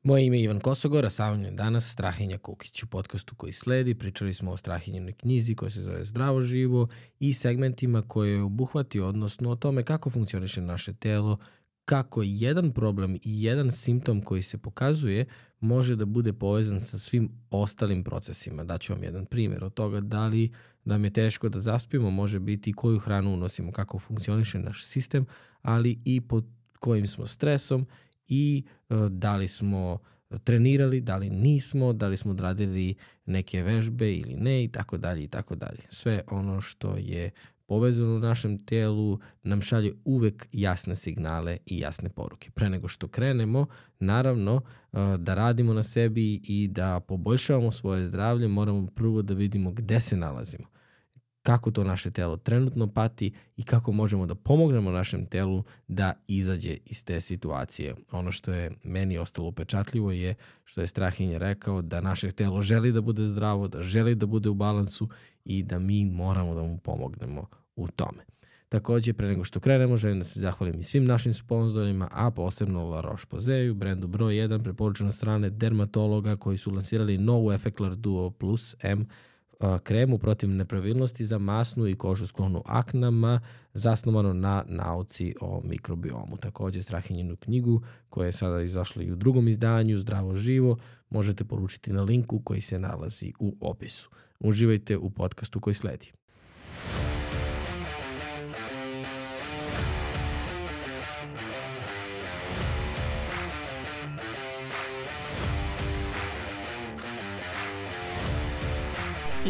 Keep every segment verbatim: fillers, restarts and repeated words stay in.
Moje ime je Ivan Kosogor, a sa mnom je danas Strahinja Kukić. U podcastu koji sledi pričali smo o Strahinjenoj knjizi koja se zove Zdravo živo i segmentima koje je obuhvatio, odnosno o tome kako funkcioniše naše telo, kako jedan problem i jedan simptom koji se pokazuje može da bude povezan sa svim ostalim procesima. Daću vam jedan primjer od toga da li nam je teško da zaspimo, može biti koju hranu unosimo, kako funkcioniše naš sistem, ali i pod kojim smo stresom i uh, da li smo trenirali, da li nismo, da li smo odradili neke vežbe ili ne i tako dalje i tako dalje. Sve ono što je povezano u našem telu nam šalje uvek jasne signale i jasne poruke. Pre nego što krenemo, naravno, uh, da radimo na sebi i da poboljšavamo svoje zdravlje, moramo prvo da vidimo gde se nalazimo, kako to naše telo trenutno pati i kako možemo da pomognemo našem telu da izađe iz te situacije. Ono što je meni ostalo upečatljivo je što je Strahinja rekao da naše telo želi da bude zdravo, da želi da bude u balansu i da mi moramo da mu pomognemo u tome. Takođe, pre nego što krenemo, želim da se zahvalim i svim našim sponzorima, a posebno La Roche-Posay, brendu broj jedan, preporučeno strane dermatologa koji su lansirali novu Effeclar Duo Plus M kremu protiv nepravilnosti za masnu i kožu sklonu aknama, zasnovano na nauci o mikrobiomu. Takođe, Strahinjenu knjigu, koja je sada izašla i u drugom izdanju, Zdravo živo, možete poručiti na linku koji se nalazi u opisu. Uživajte u podcastu koji sledi.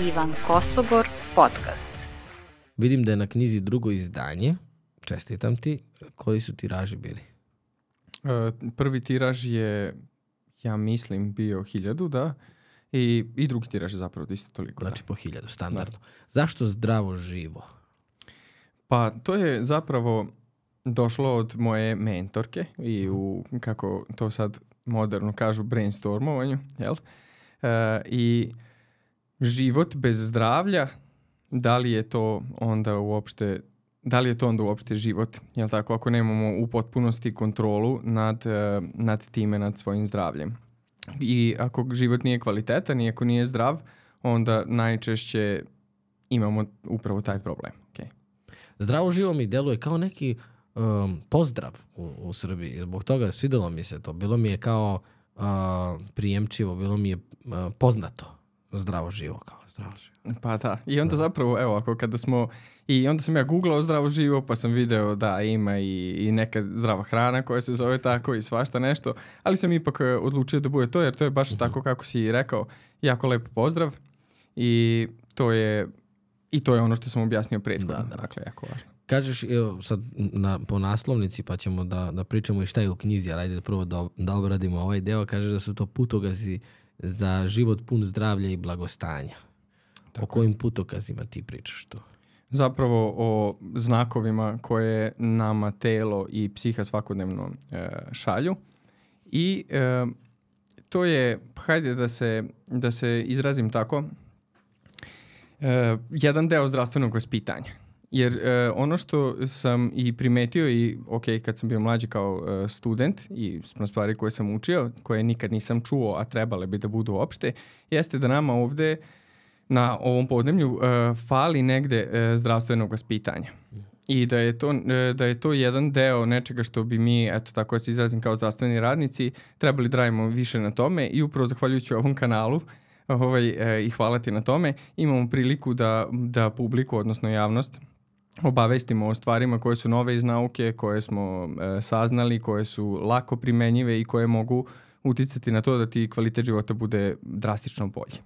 Ivan Kosogor podcast. Vidim da je na knjizi drugo izdanje. Čestitam ti. Koji su tiraži bili? Uh, prvi tiraž je, ja mislim, bio hiljadu, da. I, i drugi tiraž je zapravo isto toliko. Znači da. po hiljadu, standardno. Da. Zašto Zdravo živo? Pa to je zapravo došlo od moje mentorke i u, kako to sad moderno kažu, brainstormovanju, jel? Uh, I život bez zdravlja, da li je to onda uopšte, da li je to onda uopšte život, jel tako, ako nemamo u potpunosti kontrolu nad, nad time, nad svojim zdravljem. I ako život nije kvalitetan i ako nije zdrav, onda najčešće imamo upravo taj problem. Okay. Zdravo živo mi deluje kao neki um, pozdrav u, u Srbiji. Zbog toga svidelo mi se to. Bilo mi je kao uh, prijemčivo, bilo mi je uh, poznato. Zdravo živo, kao zdravo živo. Pa da, i onda da. zapravo, evo, ako kada smo, i onda sam ja googlao zdravo živo, pa sam video da ima i, i neka zdrava hrana koja se zove tako i svašta nešto, ali sam ipak odlučio da bude to, jer to je baš uh-huh. tako kako si rekao, jako lep pozdrav i to je, i to je ono što sam objasnio prethodno, da, da. Dakle, jako važno. Kažeš, evo, sad na, po naslovnici, pa ćemo da, da pričamo i šta je u knjizi, ali ajde prvo da, da obradimo ovaj deo, kažeš da su to putokazi za život pun zdravlja i blagostanja. Tako. O kojim putokazima ti pričaš to? Zapravo o znakovima koje nama telo i psiha svakodnevno e, šalju. I e, to je, hajde da se, da se izrazim tako, e, jedan deo zdravstvenog vaspitanja. Jer e, ono što sam i primetio i ok, kad sam bio mlađi kao e, student i stvari koje sam učio, koje nikad nisam čuo, a trebale bi da budu opšte, jeste da nama ovde na ovom podneblju e, fali negde e, zdravstvenog vaspitanja. I da je, to, e, da je to jedan deo nečega što bi mi, eto tako da se izrazim kao zdravstveni radnici, trebali da radimo više na tome i upravo zahvaljujući ovom kanalu ovaj, e, i hvala ti na tome, imamo priliku da, da publiku, odnosno javnost, obavestimo o stvarima koje su nove iz nauke, koje smo e, saznali, koje su lako primenjive i koje mogu uticati na to da ti kvalitet života bude drastično bolji.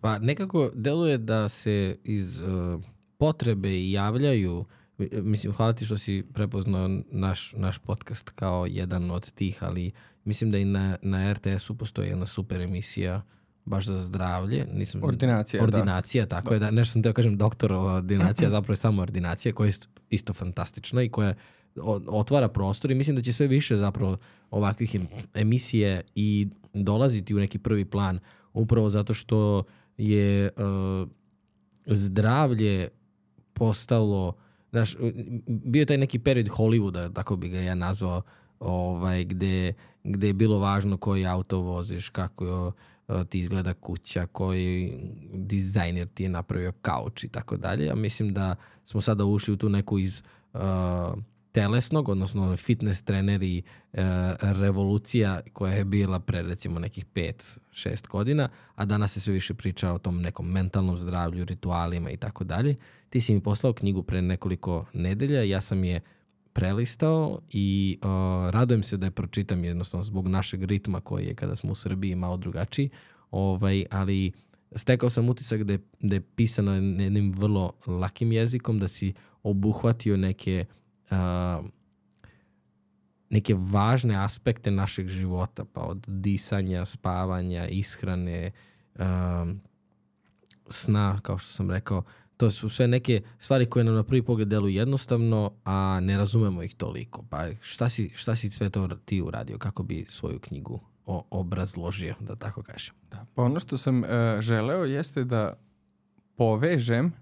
Pa nekako deluje da se iz uh, potrebe javljaju, mislim, hvala ti što si prepoznao naš, naš podcast kao jedan od tih, ali mislim da i na, na er te esu postoji jedna super emisija baš za zdravlje. Nisam, ordinacija, ordinacija, da. tako da. je. Da, nešto sam teo kažem doktorova ordinacija, zapravo je samo ordinacija koja je isto fantastična i koja otvara prostor i mislim da će sve više zapravo ovakvih emisije i dolaziti u neki prvi plan upravo zato što je uh, zdravlje postalo, znaš, bio je taj neki period Hollywooda, tako bi ga ja nazvao, ovaj, gde, gde je bilo važno koji auto voziš, kako ti izgleda kuća, koji dizajner ti je napravio kauč i tako dalje. Ja mislim da smo sada ušli u tu neku iz uh, telesnog, odnosno fitness treneri uh, revolucija koja je bila pre recimo nekih pet šest godina, a danas se sve više priča o tom nekom mentalnom zdravlju, ritualima i tako dalje. Ti si mi poslao knjigu pre nekoliko nedelja, ja sam je prelistao i uh, radujem se da je pročitam jednostavno zbog našeg ritma koji je kada smo u Srbiji malo drugačiji, ovaj, ali stekao sam utisak da je, da je pisano jednim vrlo lakim jezikom, da si obuhvatio neke uh, neke važne aspekte našeg života, pa od disanja, spavanja, ishrane, uh, sna, kao što sam rekao. To su sve neke stvari koje nam na prvi pogled deluju jednostavno, a ne razumemo ih toliko. Pa šta si, šta si sve to ti uradio? Kako bi svoju knjigu o, obrazložio, da tako kažem? Da, pa ono što sam uh, želeo jeste da povežem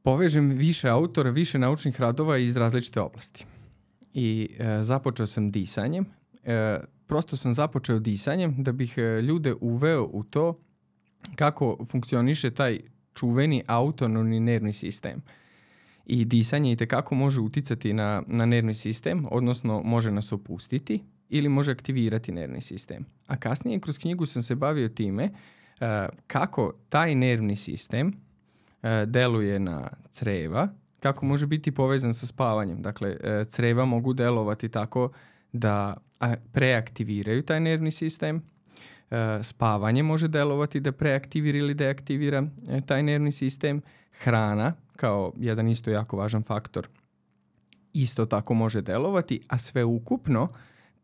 povežem više autora, više naučnih radova iz različite oblasti. I uh, započeo sam disanjem. Uh, prosto sam započeo disanjem da bih uh, ljude uveo u to kako funkcioniše taj čuveni autonomni nervni sistem. I disanje itekako može uticati na, na nervni sistem, odnosno može nas opustiti ili može aktivirati nervni sistem. A kasnije kroz knjigu sam se bavio time uh, kako taj nervni sistem uh, deluje na creva, kako može biti povezan sa spavanjem. Dakle, uh, creva mogu delovati tako da a, preaktiviraju taj nervni sistem. Spavanje može delovati da preaktivira ili deaktivira taj nervni sistem. Hrana, kao jedan isto jako važan faktor, isto tako može delovati, a sve ukupno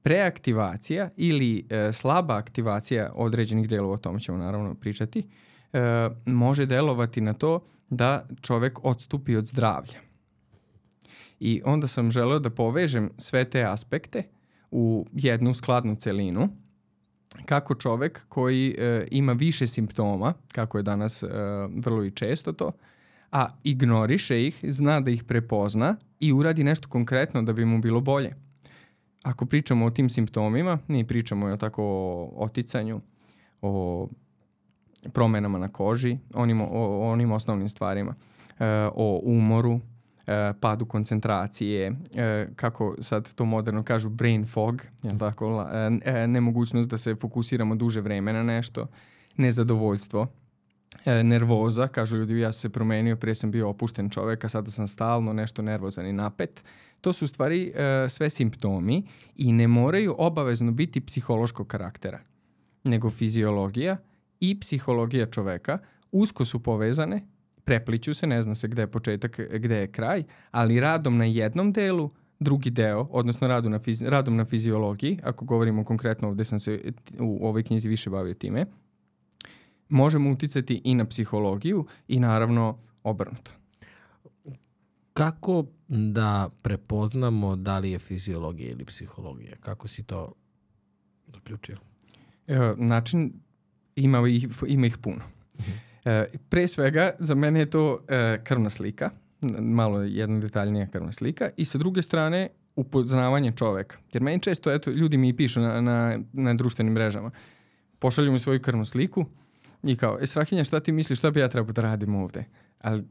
preaktivacija ili e, slaba aktivacija određenih delova, o tome ćemo naravno pričati, e, može delovati na to da čovek odstupi od zdravlja. I onda sam želeo da povežem sve te aspekte u jednu skladnu celinu, kako čovek koji e, ima više simptoma, kako je danas e, vrlo i često to, a ignoriše ih, zna da ih prepozna i uradi nešto konkretno da bi mu bilo bolje. Ako pričamo o tim simptomima, mi pričamo je tako o oticanju, o promenama na koži, onim, o, o onim osnovnim stvarima, e, o umoru, padu koncentracije, kako sad to moderno kažu brain fog, jel tako, nemogućnost da se fokusiramo duže vreme na nešto, nezadovoljstvo, nervoza, kažu ljudi, ja sam se promenio, prije sam bio opušten čovek, a sada sam stalno nešto nervozan i napet. To su u stvari sve simptomi i ne moraju obavezno biti psihološkog karaktera, nego fiziologija i psihologija čoveka usko su povezane, prepliću se, ne zna se gde je početak, gde je kraj, ali radom na jednom delu, drugi deo, odnosno radu na fizi, radom na fiziologiji, ako govorimo konkretno, ovde sam se u ovoj knjizi više bavio time, možemo uticati i na psihologiju i naravno obrnuto. Kako da prepoznamo da li je fiziologija ili psihologija? Kako si to zaključio? E, način, ima ih, ima ih puno. Mhm. E, pre svega, za mene je to e, krvna slika, malo jedna detaljnija krvna slika, i sa druge strane upoznavanje čoveka. Jer meni često, eto, ljudi mi pišu na, na, na društvenim mrežama, pošalju mi svoju krvnu sliku i kao, e, Strahinja, šta ti misliš, šta bi ja trebao da radim ovde? Ali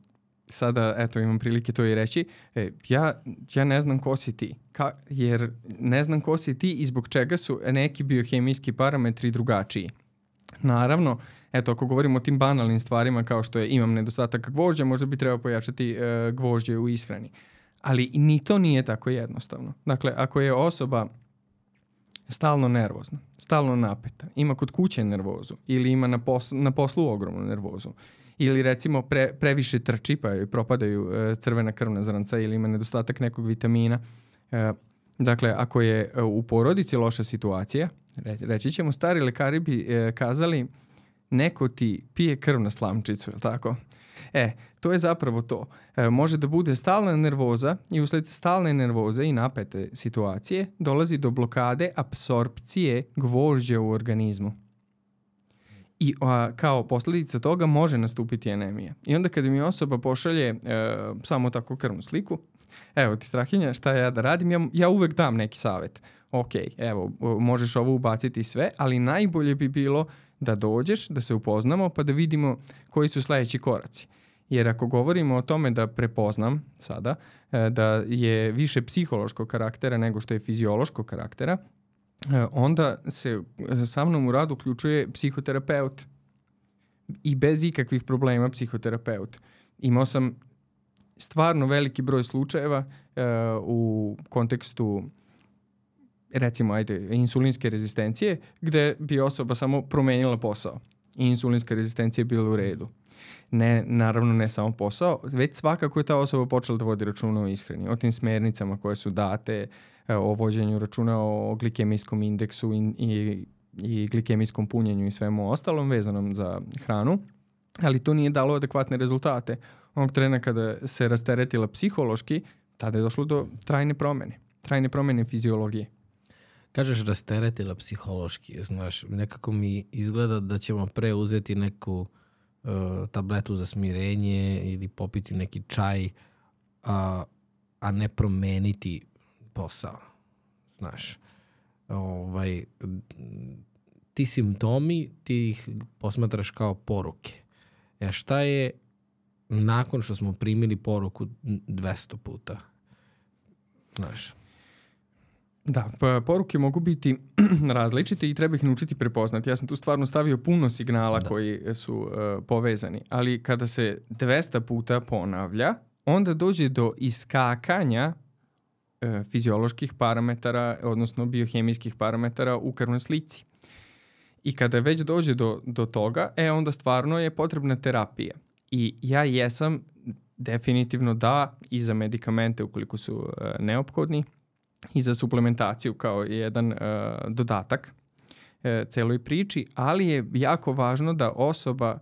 sada, eto, imam prilike to i reći, e, ja, ja ne znam ko si ti, Ka, jer ne znam ko si ti i zbog čega su neki biohemijski parametri drugačiji. Naravno, eto, ako govorimo o tim banalnim stvarima kao što je imam nedostatak gvožđa, možda bi trebao pojačati e, gvožđe u ishrani. Ali ni to nije tako jednostavno. Dakle, ako je osoba stalno nervozna, stalno napeta, ima kod kuće nervozu ili ima na, poslu, na poslu ogromnu nervozu, ili recimo pre, previše trči pa joj propadaju e, crvena krvna zrnca ili ima nedostatak nekog vitamina. E, dakle, ako je e, u porodici loša situacija, re, reći ćemo, stari lekari bi e, kazali neko ti pije krv na slamčicu, je li tako? E, to je zapravo to. E, može da bude stalna nervoza i usled stalne nervoze i napete situacije dolazi do blokade apsorpcije gvožđa u organizmu. I a, kao posljedica toga može nastupiti anemija. I onda kada mi osoba pošalje e, samo tako krvnu sliku, Evo ti Strahinja, šta ja da radim? Ja, ja uvek dam neki savjet. Ok, evo, možeš ovo ubaciti sve, ali najbolje bi bilo da dođeš, da se upoznamo, pa da vidimo koji su sledeći koraci. Jer ako govorimo o tome da prepoznam sada, da je više psihološkog karaktera nego što je fiziološkog karaktera, onda se sa mnom u radu uključuje psihoterapeut. I bez ikakvih problema psihoterapeut. Imao sam stvarno veliki broj slučajeva uh, u kontekstu recimo ajde, insulinske rezistencije gde bi osoba samo promenila posao i insulinska rezistencija je bila u redu. Ne, naravno ne samo posao, već svakako je ta osoba počela da vodi računa o ishrani, o tim smernicama koje su date, o vođenju računa o glikemijskom indeksu i, i, i glikemijskom punjenju i svemu ostalom vezanom za hranu, ali to nije dalo adekvatne rezultate. Onog trena kada se rasteretila psihološki, tada je došlo do trajne promene, trajne promene fiziologije. Kažeš rasteretila psihološki, znaš, nekako mi izgleda da ćemo pre uzeti neku uh, tabletu za smirenje ili popiti neki čaj, a, a ne promeniti posao, znaš. Ovaj, ti simptomi, ti ih posmatraš kao poruke. E šta je nakon što smo primili poruku dvesta puta? Znaš. Da, pa poruke mogu biti različite i treba ih naučiti prepoznati. Ja sam tu stvarno stavio puno signala da. koji su uh, povezani, ali kada se dvesta puta ponavlja, onda dođe do iskakanja uh, fizioloških parametara, odnosno biohemijskih parametara u krvnoj slici. I kada već dođe do, do toga, e onda stvarno je potrebna terapija. I ja jesam definitivno da i za medikamente ukoliko su uh, neophodni, i za suplementaciju kao jedan uh, dodatak uh, celoj priči, ali je jako važno da osoba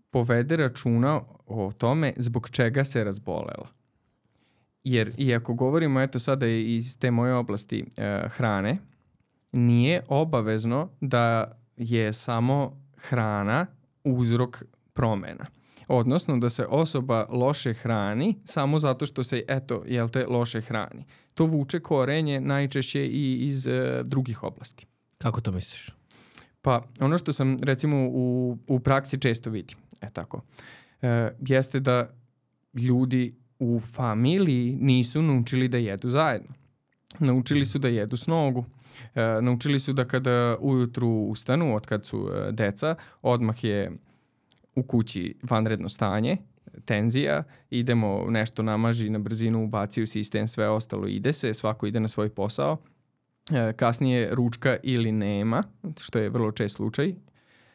povede računa o tome zbog čega se razbolela. Jer i ako govorimo eto sada iz te moje oblasti uh, hrane, nije obavezno da je samo hrana uzrok promena. Odnosno da se osoba loše hrani samo zato što se, eto, jel te, loše hrani. To vuče korenje najčešće i iz e, drugih oblasti. Kako to misliš? Pa ono što sam recimo u, u praksi često vidim, e tako, e, jeste da ljudi u familiji nisu naučili da jedu zajedno. Naučili su da jedu s nogu. E, naučili su da kada ujutru ustanu, od kad su e, deca, odmah je u kući vanredno stanje, tenzija, idemo nešto namaži na brzinu, ubaci u sistem, sve ostalo ide se, svako ide na svoj posao. E, kasnije ručka ili nema, što je vrlo čest slučaj,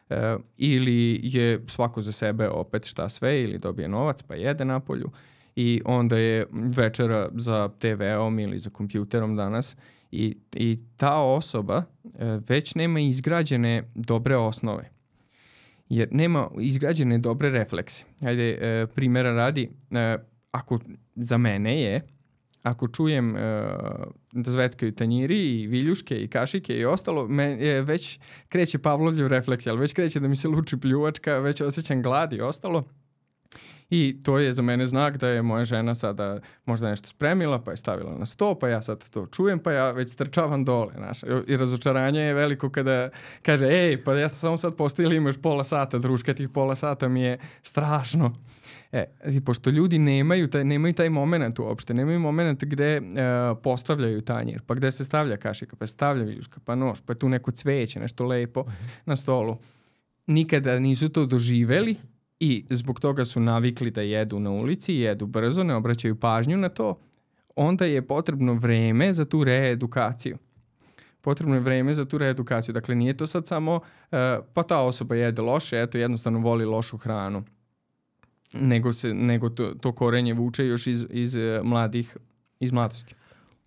e, ili je svako za sebe opet šta sve, ili dobije novac pa jede napolju i onda je večera za te veom ili za kompjuterom danas i, i ta osoba e, već nema izgrađene dobre osnove. Jer nema izgrađene dobre reflekse. Ajde, e, primjera radi, e, ako za mene je, ako čujem e, da zveckaju tanjiri i viljuške i kašike i ostalo, me, e, već kreće Pavlovljev refleks, ali već kreće da mi se luči pljuvačka, već osjećam glad i ostalo. I to je za mene znak da je moja žena sada možda nešto spremila, pa je stavila na sto, pa ja sad to čujem, pa ja već trčavam dole. Znaš. I razočaranje je veliko kada kaže, ej, pa ja sam samo sad postavila, imaš pola sata, druška, tih pola sata mi je strašno. E, i pošto ljudi nemaju taj, nemaju taj moment uopšte, nemaju moment gde uh, postavljaju tanjir, pa gde se stavlja kašika, pa stavlja viljuška, pa nož, pa tu neko cveće, nešto lepo uh-huh. na stolu. Nikada nisu to doživeli, i zbog toga su navikli da jedu na ulici, jedu brzo, ne obraćaju pažnju na to, onda je potrebno vreme za tu reedukaciju. Potrebno je vreme za tu reedukaciju. Dakle, nije to sad samo, uh, pa ta osoba jede loše, eto, jednostavno voli lošu hranu. Nego, se, nego to, to korenje vuče još iz, iz, mladih, iz mladosti.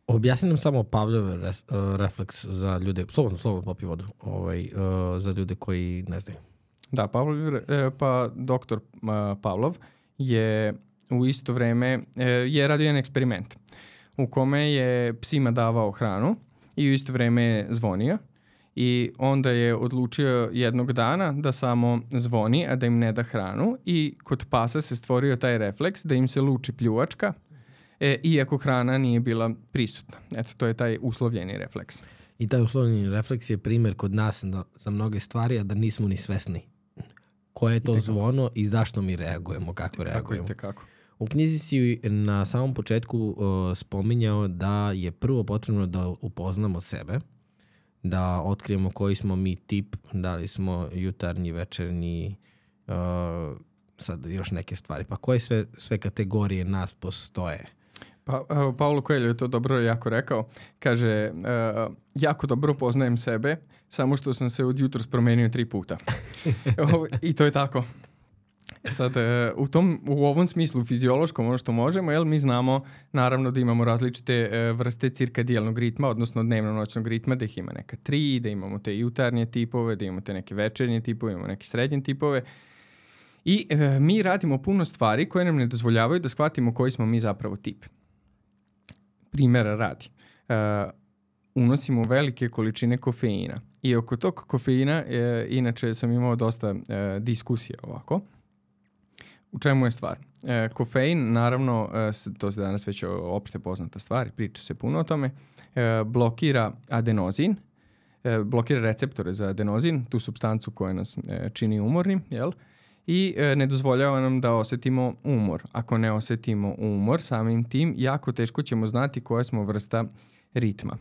Objasni nam samo Pavlov res, uh, refleks za ljude, slobodno, slobodno popi vodu, ovaj, uh, za ljude koji ne znaju. Da, Pavlov, pa doktor Pavlov je u isto vreme je radio jedan eksperiment u kome je psima davao hranu i u isto vreme je zvonio i onda je odlučio jednog dana da samo zvoni, a da im ne da hranu i kod pasa se stvorio taj refleks da im se luči pljuvačka e, iako hrana nije bila prisutna. Eto, to je taj uslovljeni refleks. I taj uslovljeni refleks je primjer kod nas na, za mnoge stvari, a da nismo ni svesni koje je to I zvono i zašto mi reagujemo, kako reagujemo. Kako. U knjizi si na samom početku uh, spominjao da je prvo potrebno da upoznamo sebe, da otkrijemo koji smo mi tip, da li smo jutarnji, večernji, uh, sad još neke stvari. Pa koje sve, sve kategorije nas postoje? Pa, uh, Paulo Coelho je to dobro jako rekao. Kaže, uh, jako dobro poznajem sebe, samo što sam se od jutros promenio tri puta. I to je tako. Sad, u, tom, u ovom smislu fiziološkom, ono što možemo, jel, mi znamo naravno da imamo različite vrste cirkadijalnog ritma, odnosno dnevno-noćnog ritma, da ih ima neka tri, da imamo te jutarnje tipove, da imamo te neke večernje tipove, imamo neke srednje tipove. I e, mi radimo puno stvari koje nam ne dozvoljavaju da shvatimo koji smo mi zapravo tip. Primjera radi. E, unosimo velike količine kofeina. I oko tog kofeina, e, inače sam imao dosta e, diskusija ovako. U čemu je stvar? E, kofein, naravno, e, to je danas već opšte poznata stvar, priča se puno o tome, e, blokira adenozin, e, blokira receptore za adenozin, tu supstancu koja nas e, čini umornim, jel? I e, ne dozvoljava nam da osjetimo umor. Ako ne osjetimo umor, samim tim, jako teško ćemo znati koja smo vrsta ritma.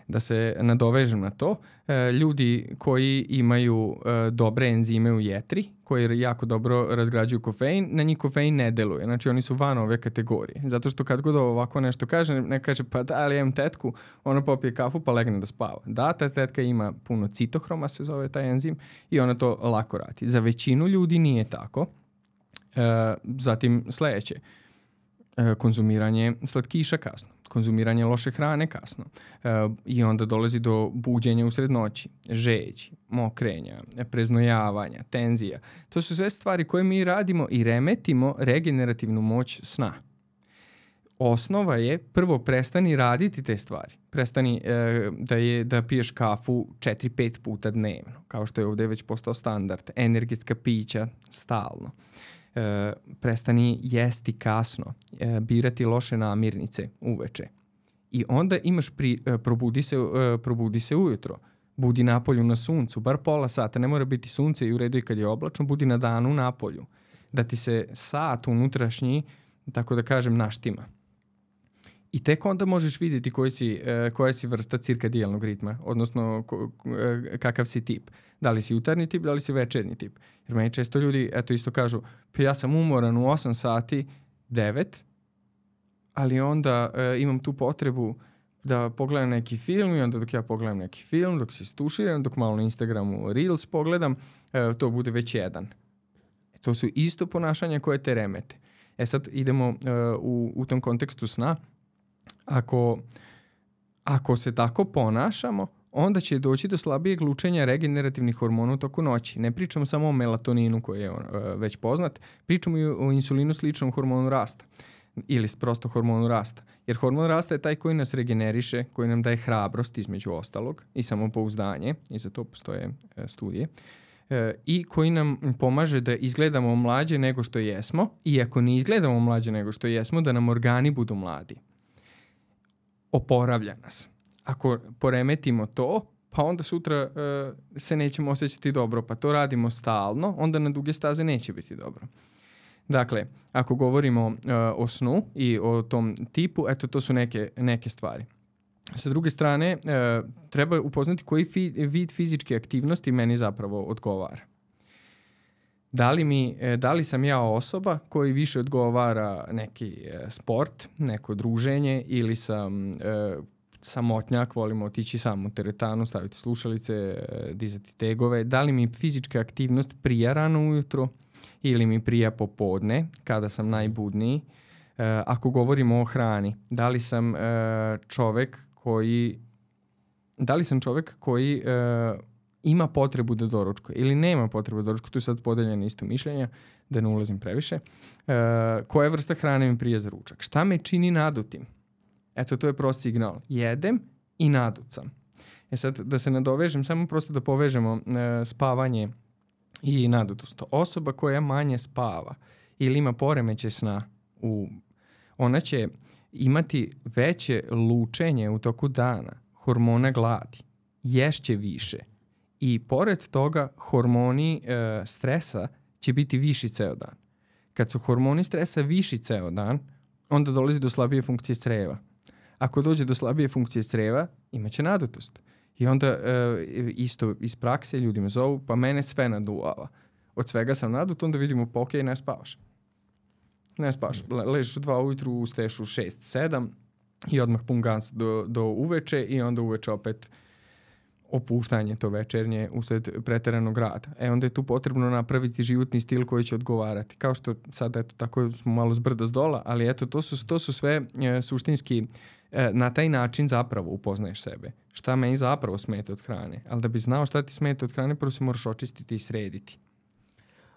Da se nadovežem na to, e, ljudi koji imaju e, dobre enzime u jetri, koji jako dobro razgrađuju kofein, na njih kofein ne deluje. Znači oni su van ove kategorije. Zato što kad god ovako nešto kaže, ne kaže pa da, ali imam tetku, ona popije kafu pa legne da spava. Da, ta tetka ima puno citohroma, se zove taj enzim, i ona to lako radi. Za većinu ljudi nije tako. E, zatim sledeće. Konzumiranje slatkiša kasno, konzumiranje loše hrane kasno e, i onda dolazi do buđenja usred noći, žeđi, mokrenja, preznojavanja, tenzija. To su sve stvari koje mi radimo i remetimo regenerativnu moć sna. Osnova je prvo prestani raditi te stvari. Prestani e, da, je, da piješ kafu četiri pet puta dnevno, kao što je ovdje već postao standard. Energetska pića stalno. E, prestani jesti kasno, e, birati loše namirnice uveče. I onda imaš pri, e, probudi, se, e, probudi se ujutro. Budi napolju na suncu, bar pola sata, ne mora biti sunce i u redu i kad je oblačno, budi na danu napolju. Da ti se sat unutrašnji, tako da kažem, naštima. I tek onda možeš vidjeti koji si, e, koja si vrsta cirkadijalnog ritma, odnosno ko, e, kakav si tip. Da li si jutarnji tip, da li si večernji tip. Jer meni često ljudi eto isto kažu, pa ja sam umoran u osam sati, devet, ali onda e, imam tu potrebu da pogledam neki film i onda dok ja pogledam neki film, dok se stuširam, dok malo na Instagramu Reels pogledam, e, to bude već jedan. E, to su isto ponašanja koje te remete. E sad idemo e, u, u tom kontekstu sna. Ako, ako se tako ponašamo, onda će doći do slabijeg lučenja regenerativnih hormona u toku noći. Ne pričamo samo o melatoninu koji je uh, već poznat, pričamo i o insulinu sličnom hormonu rasta ili prosto hormonu rasta. Jer hormon rasta je taj koji nas regeneriše, koji nam daje hrabrost između ostalog i samopouzdanje, i za to postoje uh, studije, uh, i koji nam pomaže da izgledamo mlađe nego što jesmo, i ako ne izgledamo mlađe nego što jesmo, da nam organi budu mladi. Oporavlja nas. Ako poremetimo to, pa onda sutra uh, se nećemo osjećati dobro, pa to radimo stalno, onda na duge staze neće biti dobro. Dakle, ako govorimo uh, o snu i o tom tipu, eto to su neke, neke stvari. Sa druge strane, uh, treba upoznati koji fi, vid fizičke aktivnosti meni zapravo odgovara. Da li, mi, da li sam ja osoba koji više odgovara neki sport, neko druženje, ili sam e, samotnjak, volimo otići sam u teretanu, staviti slušalice, e, dizati tegove. Da li mi fizička aktivnost prija rano ujutro ili mi prija popodne, kada sam najbudniji. E, ako govorimo o hrani, da li sam e, čovek koji da li sam čovek koji e, ima potrebu da doručkuje ili nema potrebu da doručkuje, tu je sad podeljeno isto mišljenja, da ne ulazim previše. E, koja vrsta hrane mi prije za ručak? Šta me čini nadutim? Eto, to je prost signal. Jedem i nadut sam. E sad, da se nadovežem, samo prosto da povežemo e, spavanje i nadutost. Osoba koja manje spava ili ima poremećaj sna, u, ona će imati veće lučenje u toku dana hormona gladi, ješće više i pored toga hormoni e, stresa će biti viši ceo dan. Kad su hormoni stresa viši ceo dan, onda dolazi do slabije funkcije creva. Ako dođe do slabije funkcije creva, imaće nadutost. I onda e, isto iz prakse ljudi me zovu, pa mene sve naduvava. Od svega sam nadut, onda vidimo pa okej, ne spavaš. Ne spavaš. Le, ležiš u dva ujutru, ustaješ u šest, sedam i odmah pun gans do, do uveče i onda uveče opet opuštanje to večernje usled preteranog rada. E onda je tu potrebno napraviti životni stil koji će odgovarati. Kao što sad eto tako smo malo zbrda zdola, ali eto to su, to su sve e, suštinski e, na taj način zapravo upoznaješ sebe. Šta meni zapravo smeta od hrane. Ali da bi znao šta ti smeta od hrane, prvo se moraš očistiti i srediti.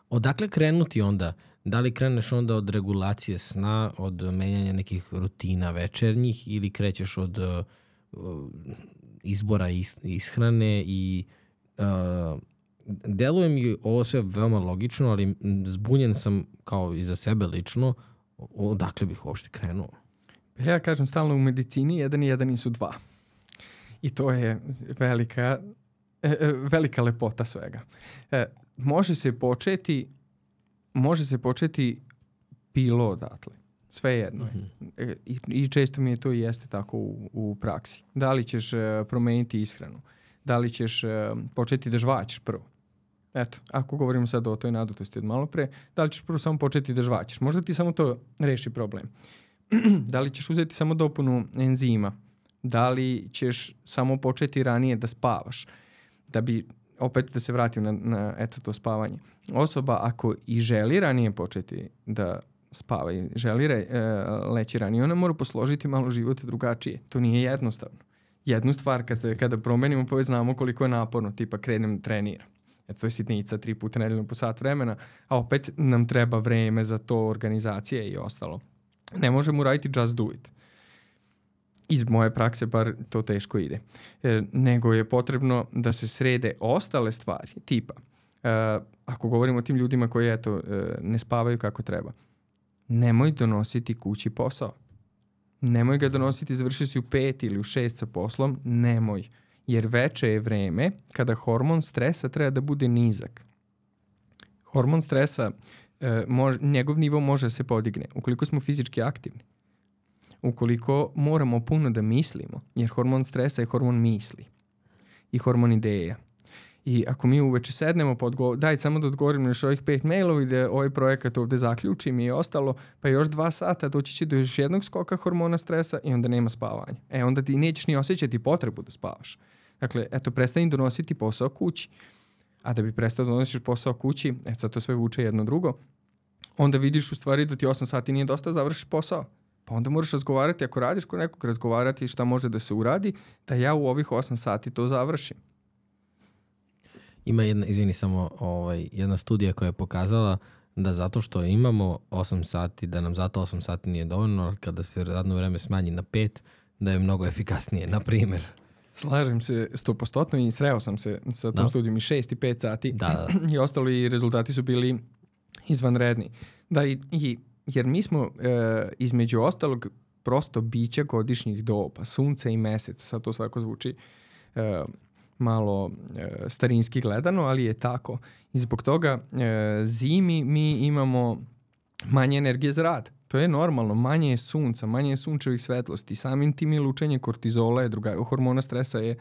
Odakle krenuti onda? Da li kreneš onda od regulacije sna, od menjanja nekih rutina večernjih ili krećeš od uh, izbora is, ishrane i uh, deluje mi ovo sve veoma logično, ali zbunjen sam kao i za sebe lično, odakle bih uopšte krenuo? Ja kažem stalno u medicini jedan i jedan nisu dva. I to je velika, velika lepota svega. Može se početi može se početi bilo odatle. Sve jedno je. Mm-hmm. I, I često mi je to i jeste tako u, u praksi. Da li ćeš uh, promeniti ishranu? Da li ćeš uh, početi da žvaćeš prvo? Eto, ako govorimo sad o toj nadutosti od malo pre, da li ćeš prvo samo početi da žvaćeš? Možda ti samo to reši problem. Da li ćeš uzeti samo dopunu enzima? Da li ćeš samo početi ranije da spavaš? Da bi opet da se vratim na, na eto to spavanje. Osoba ako i želi ranije početi da spava i želi re, e, leći ranije, ona mora posložiti malo život drugačije. To nije jednostavno. Jednu stvar kada, kada promenimo, pa već znamo koliko je naporno, tipa krenem da treniram. Eto, to je sitnica, tri puta nedeljno po sat vremena, a opet nam treba vreme za to, organizacije i ostalo. Ne možemo uraditi just do it. Iz moje prakse bar to teško ide. E, nego je potrebno da se srede ostale stvari, tipa, e, ako govorimo o tim ljudima koji eto, e, ne spavaju kako treba, nemoj donositi kući posao. Nemoj ga donositi, završi si u pet ili u šest sa poslom, nemoj. Jer veče je vreme kada hormon stresa treba da bude nizak. Hormon stresa, e, mož, njegov nivo može da se podigne ukoliko smo fizički aktivni. Ukoliko moramo puno da mislimo, jer hormon stresa je hormon misli i hormon ideja. I ako mi uveče sednemo, pa odgo- daj samo da odgovorim na još ovih pet mailova i da ovaj projekat ovde zaključim i ostalo, pa još dva sata doći će do još jednog skoka hormona stresa i onda nema spavanja. E, onda ti nećeš ni osjećati potrebu da spavaš. Dakle, eto, prestani donositi posao kući. A da bi prestao da donosiš posao kući, eto, sad to sve vuče jedno drugo, onda vidiš u stvari da ti osam sati nije dosta, završiš posao. Pa onda moraš razgovarati, ako radiš kod nekog, razgovarati šta može da se uradi, da ja u ovih osam sati to završim. Ima jedna, izvini samo, ovaj, jedna studija koja je pokazala da zato što imamo osam sati, da nam zato osam sati nije dovoljno, ali kada se radno vreme smanji na pet, da je mnogo efikasnije, na primjer. Slažem se sto posto i sreo sam se sa tom da. studijom i šest i pet sati da, da. i ostali rezultati su bili izvanredni. Da, i, i jer mi smo e, između ostalog prosto bića godišnjih doba, sunce i mesec, sad to svako zvuči e, malo e, starinski gledano, ali je tako. I zbog toga e, zimi mi imamo manje energije za rad. To je normalno, manje je sunca, manje je sunčevih svetlosti, samim tim je lučenje kortizola, je druga, hormona stresa je,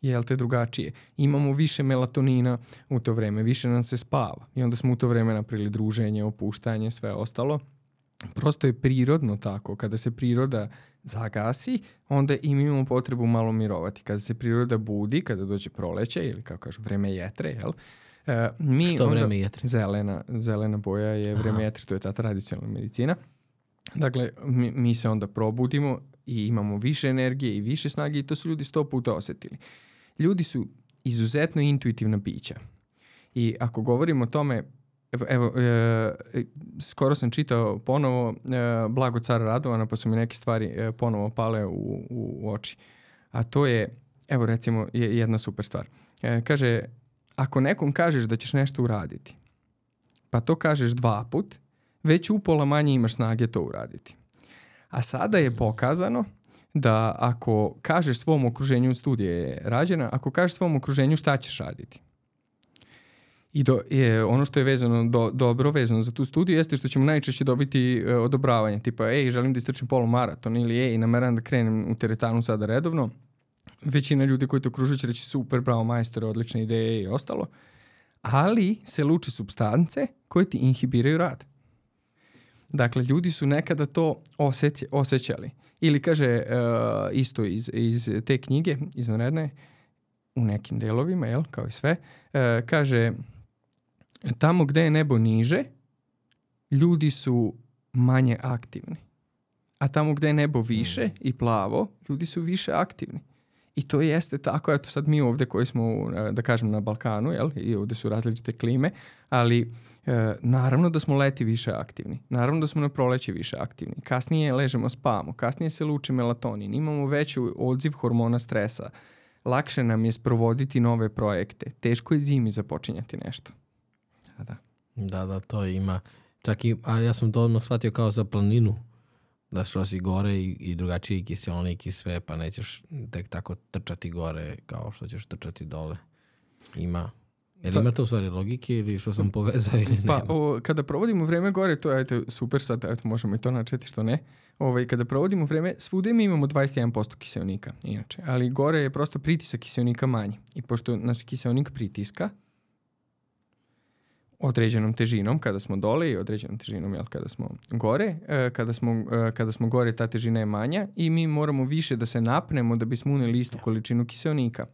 je te drugačije. Imamo više melatonina u to vreme, više nam se spava i onda smo u to vreme napravili druženje, opuštanje, sve ostalo. Prosto je prirodno tako. Kada se priroda zagasi, onda imamo potrebu malo mirovati. Kada se priroda budi, kada dođe proleće ili kako kažu vreme jetre, jel? E, mi Što onda, vreme jetre? Zelena, zelena boja je vreme Aha. jetre, to je ta tradicionalna medicina. Dakle, mi, mi se onda probudimo i imamo više energije i više snage i to su ljudi sto puta osetili. Ljudi su izuzetno intuitivna bića. I ako govorimo o tome, evo, evo e, skoro sam čitao ponovo e, Blago cara Radovana, pa su mi neke stvari e, ponovo pale u, u, u oči. A to je, evo recimo, je jedna super stvar. E, kaže, ako nekom kažeš da ćeš nešto uraditi, pa to kažeš dva put, već upola manje imaš snage to uraditi. A sada je pokazano da ako kažeš svom okruženju, studija je rađena, ako kažeš svom okruženju šta ćeš raditi. I do, je, ono što je vezano do, dobro vezano za tu studiju jeste što ćemo najčešće dobiti e, odobravanje. Tipa, ej, želim da istrčim polumaraton ili ej, nameram da krenem u teretanu sada redovno. Većina ljudi koji te okružuju će reći super, bravo majstore, odlične ideje i ostalo. Ali se luče supstance koje ti inhibiraju rad. Dakle, ljudi su nekada to osjeti, osjećali. Ili kaže uh, isto iz, iz te knjige, izvanredne, u nekim delovima, jel, kao i sve, uh, kaže tamo gde je nebo niže, ljudi su manje aktivni. A tamo gde je nebo više i plavo, ljudi su više aktivni. I to jeste tako, eto sad mi ovdje koji smo, da kažem, na Balkanu, jel, i ovdje su različite klime, ali e, naravno da smo leti više aktivni, naravno da smo na proleće više aktivni, kasnije ležemo spavamo, kasnije se luči melatonin, imamo veću odziv hormona stresa, lakše nam je sprovoditi nove projekte, teško je zimi započinjati nešto. A da. Da, da, to ima. Čak i, a ja sam to odmah shvatio kao za planinu, da što si gore i, i drugačiji kiseonik i sve, pa nećeš tek tako trčati gore kao što ćeš trčati dole. Ima. Jel ima to u stvari logike ili što sam povezao ili nema? Pa o, kada provodimo vreme gore, to je ajte, super, sad ajte, možemo i to načeti što ne. Ovaj, kada provodimo vreme, svude mi imamo dvadeset jedan posto kiseonika, inače. Ali gore je prosto pritisak kiseonika manji. I pošto nas kiseonik pritiska, određenom težinom kada smo dole i određenom težinom jel, kada smo gore. E, kada, smo, e, kada smo gore ta težina je manja i mi moramo više da se napnemo da bismo uneli istu količinu kiseonika.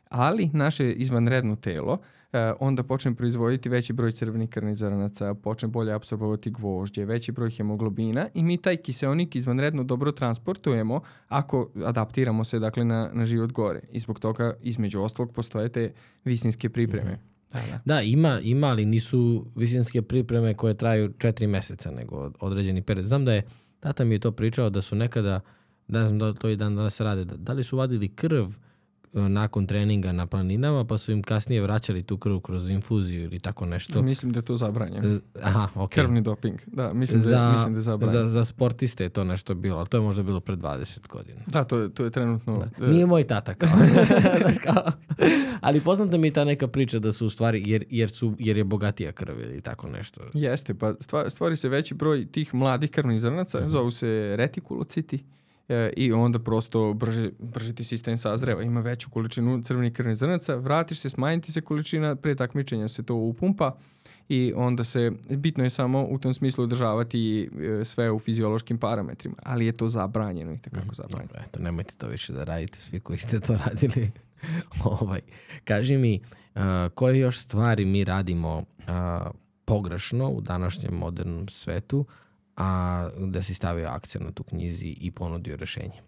Ali naše izvanredno telo e, onda počne proizvoditi veći broj crvenih krvnih zrnaca, počne bolje apsorbovati gvožđe, veći broj hemoglobina i mi taj kiseonik izvanredno dobro transportujemo ako adaptiramo se dakle na, na život gore. I zbog toga između ostalog postoje te visinske pripreme. Mm-hmm. Da, da. da ima, ima, ali nisu visinske pripreme koje traju četiri meseca, nego određeni period. Znam da je, tata mi je to pričao, da su nekada, ne znam da to i dan danas rade, da, da li su vadili krv nakon treninga na planinama, pa su im kasnije vraćali tu krv kroz infuziju ili tako nešto. Mislim da je to zabranjeno. Aha, ok. Krvni doping, da, mislim da, za, mislim da je zabranjeno. Za, za sportiste je to nešto bilo, ali to je možda bilo pred dvadeset godina. Da, to je, to je trenutno... Da. Nije moj tata kao. kao. Ali poznata mi je ta neka priča da su u stvari, jer, jer, su, jer je bogatija krv ili tako nešto. Jeste, pa stvori se veći broj tih mladih krvnih zrnaca, uh-huh. zovu se retikulociti. E, i onda prosto brže, brže ti sistem sazreva, ima veću količinu crvenih krvnih zrnaca, vratiš se, smanjiti se količina, pre takmičenja se to upumpa i onda se, bitno je samo u tom smislu održavati e, sve u fiziološkim parametrima, ali je to zabranjeno i takako zabranjeno. Dobro, eto, nemojte to više da radite, svi koji ste to radili. ovaj, kaži mi, uh, koje još stvari mi radimo uh, pogrešno u današnjem modernom svetu, a da si stavio akcent na tu knjizi i ponudio rešenje?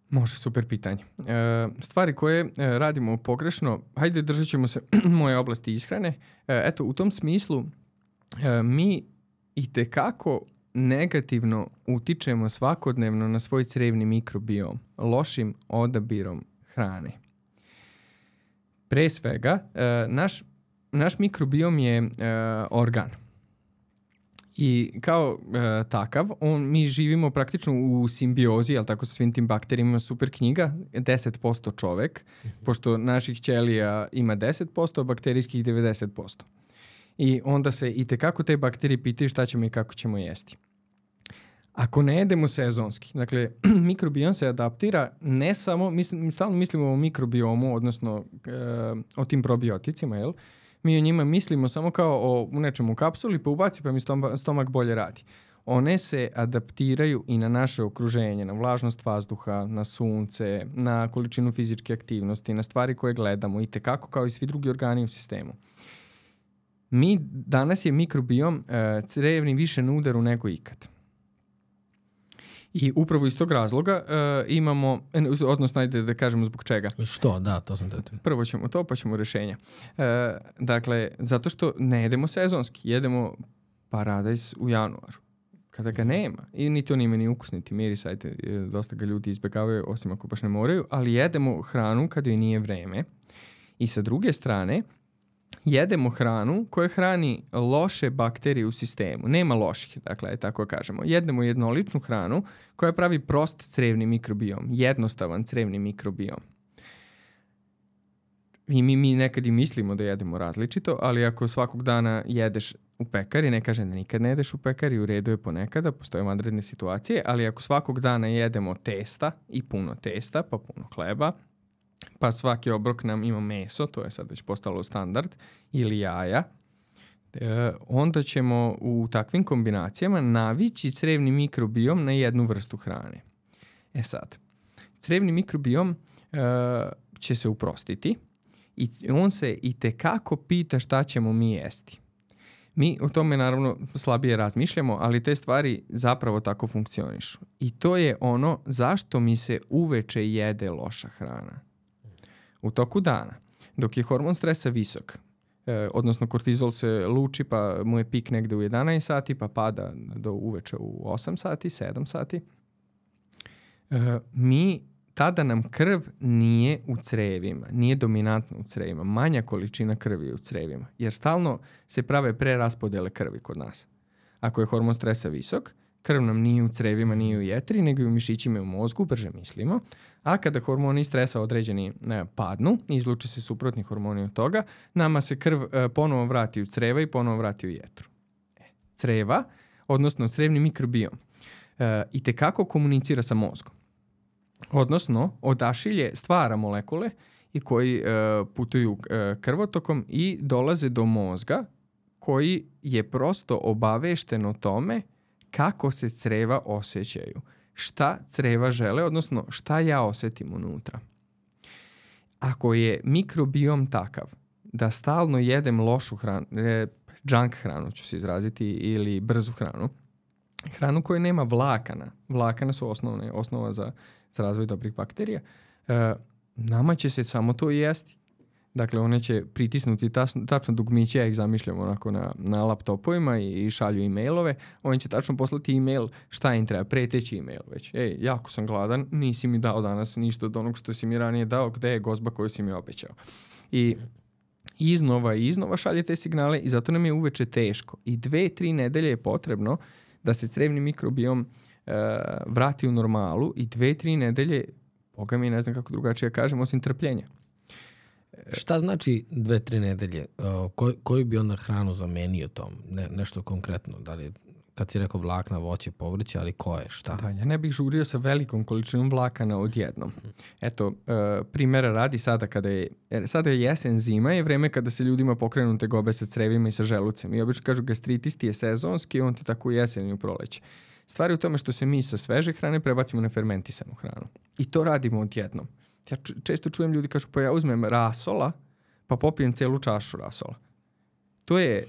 Može, super pitanje. E, stvari koje e, radimo pogrešno, hajde držat ćemo se moje oblasti ishrane. E, eto, u tom smislu e, mi itekako negativno utičemo svakodnevno na svoj crevni mikrobiom, lošim odabirom hrane. Pre svega, e, naš, naš mikrobiom je e, organ. I kao e, takav, on, mi živimo praktično u simbiozi, jel tako, sa svim tim bakterijima, super knjiga, deset posto čovek, mm-hmm. pošto naših ćelija ima deset posto, a bakterijskih devedeset posto. I onda se i tekako te bakterije pitaju šta ćemo i kako ćemo jesti. Ako ne jedemo sezonski, dakle, mikrobiom se adaptira ne samo, mislim, stalno mislimo o mikrobiomu, odnosno e, o tim probioticima, jel? Mi o njima mislimo samo kao o u nečemu kapsuli, pa ubaci pa mi stomak bolje radi. One se adaptiraju i na naše okruženje, na vlažnost vazduha, na sunce, na količinu fizičke aktivnosti, na stvari koje gledamo i tekako kao i svi drugi organi u sistemu. Mi, danas je mikrobiom e, crevni više na udaru nego ikad. I upravo iz tog razloga uh, imamo, odnosno ajde da kažemo zbog čega. Što? Da, to sam te. Prvo ćemo to, pa ćemo rešenja. Uh, dakle, zato što ne jedemo sezonski, jedemo paradajz u januaru. Kada ga nema, i niti on ima ni ukus, niti miris, ajde, dosta ga ljudi izbjegavaju, osim ako baš ne moraju, ali jedemo hranu kada joj nije vreme. I sa druge strane, jedemo hranu koja hrani loše bakterije u sistemu. Nema loših, dakle, tako kažemo. Jedemo jednoličnu hranu koja pravi prost crevni mikrobiom, jednostavan crevni mikrobiom. I mi, mi nekad i mislimo da jedemo različito, ali ako svakog dana jedeš u pekari, ne kažem da nikad ne jedeš u pekari, u redu je ponekada, postoje vanredne situacije, ali ako svakog dana jedemo testa i puno testa, pa puno hleba, pa svaki obrok nam ima meso, to je sad već postalo standard, ili jaja, e, onda ćemo u takvim kombinacijama navići crevni mikrobiom na jednu vrstu hrane. E sad, crevni mikrobiom e, će se uprostiti i on se i tekako pita šta ćemo mi jesti. Mi o tome naravno slabije razmišljamo, ali te stvari zapravo tako funkcionišu. I to je ono zašto mi se uveče jede loša hrana. U toku dana, dok je hormon stresa visok, eh, odnosno kortizol se luči pa mu je pik negde u jedanaest sati, pa pada do uveče u osam sati, sedam sati, eh, mi tada nam krv nije u crevima, nije dominantna u crevima, manja količina krvi je u crevima, jer stalno se prave preraspodele krvi kod nas. Ako je hormon stresa visok, krv nam nije u crevima, nije u jetri, nego i u mišićima i u mozgu, brže mislimo, a kada hormoni stresa određeni ne, padnu, izluče se suprotni hormoni od toga, nama se krv e, ponovo vrati u creva i ponovo vrati u jetru. E, creva, odnosno crevni mikrobiom, e, i tekako komunicira sa mozgom. Odnosno, odašilje stvara molekule i koji e, putuju e, krvotokom i dolaze do mozga koji je prosto obavešten o tome kako se creva osjećaju, šta creva žele, odnosno šta ja osetim unutra. Ako je mikrobiom takav da stalno jedem lošu hranu, junk hranu ću se izraziti, ili brzu hranu, hranu koja nema vlakana, vlakana su osnovne, osnova za, za razvoj dobrih bakterija, e, nama će se samo to jesti. Dakle, one će pritisnuti tačno, tačno dugmiće, ja ih zamišljam onako na, na laptopovima i, i šalju e-mailove. Oni će tačno poslati e-mail, šta im treba, preteći e-mail već. Ej, jako sam gladan, nisi mi dao danas ništa od onog što si mi ranije dao, gde je gozba koju si mi obećao. I iznova i iznova šalje te signale i zato nam je uveče teško. I dve, tri nedelje je potrebno da se crevni mikrobiom uh, vrati u normalu i dve, tri nedelje, boga mi ne znam kako drugačije kažem, osim trpljenja. Šta znači dve, tri nedelje? Uh, koj, koju bi onda hranu zamenio tom? Ne, nešto konkretno? Da li, kad si rekao vlakna, voće, povrće, ali koje? Šta? Da, ja ne bih žurio sa velikom količinom vlakana odjednom. Eto, uh, primjera radi sada kada je, sada je jesen, zima, je vreme kada se ljudima pokrenu tegobe sa crevima i sa želucem. I obično kažu gastritis ti je sezonski, on ti tako u jesen i u proleće. Stvar je u tome što se mi sa sveže hrane prebacimo na fermentisanu hranu. I to radimo odjednom. Ja često čujem ljudi kažu, pa ja uzmem rasola, pa popijem celu čašu rasola. To je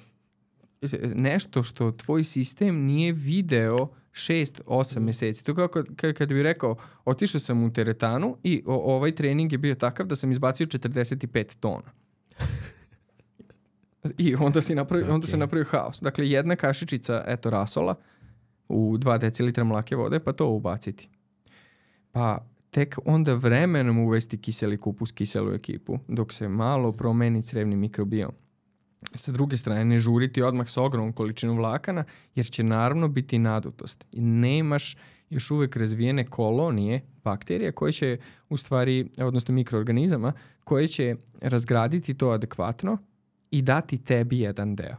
nešto što tvoj sistem nije video šest osam mjeseci. To kao kad, kad bi rekao, otišao sam u teretanu i o, ovaj trening je bio takav da sam izbacio četrdeset pet tona. I onda, si napravi, okay. onda se napravio haos. Dakle, jedna kašičica, eto, rasola u dva decilitra mlake vode, pa to ubaciti. Pa tek onda vremenom uvesti kiseli kupus, kiselu ekipu, dok se malo promeni crevni mikrobiom. Sa druge strane, ne žuriti odmah sa ogromnom količinom vlakana, jer će naravno biti nadutost. I nemaš još uvek razvijene kolonije bakterija koje će, u stvari, odnosno mikroorganizama, koje će razgraditi to adekvatno i dati tebi jedan deo.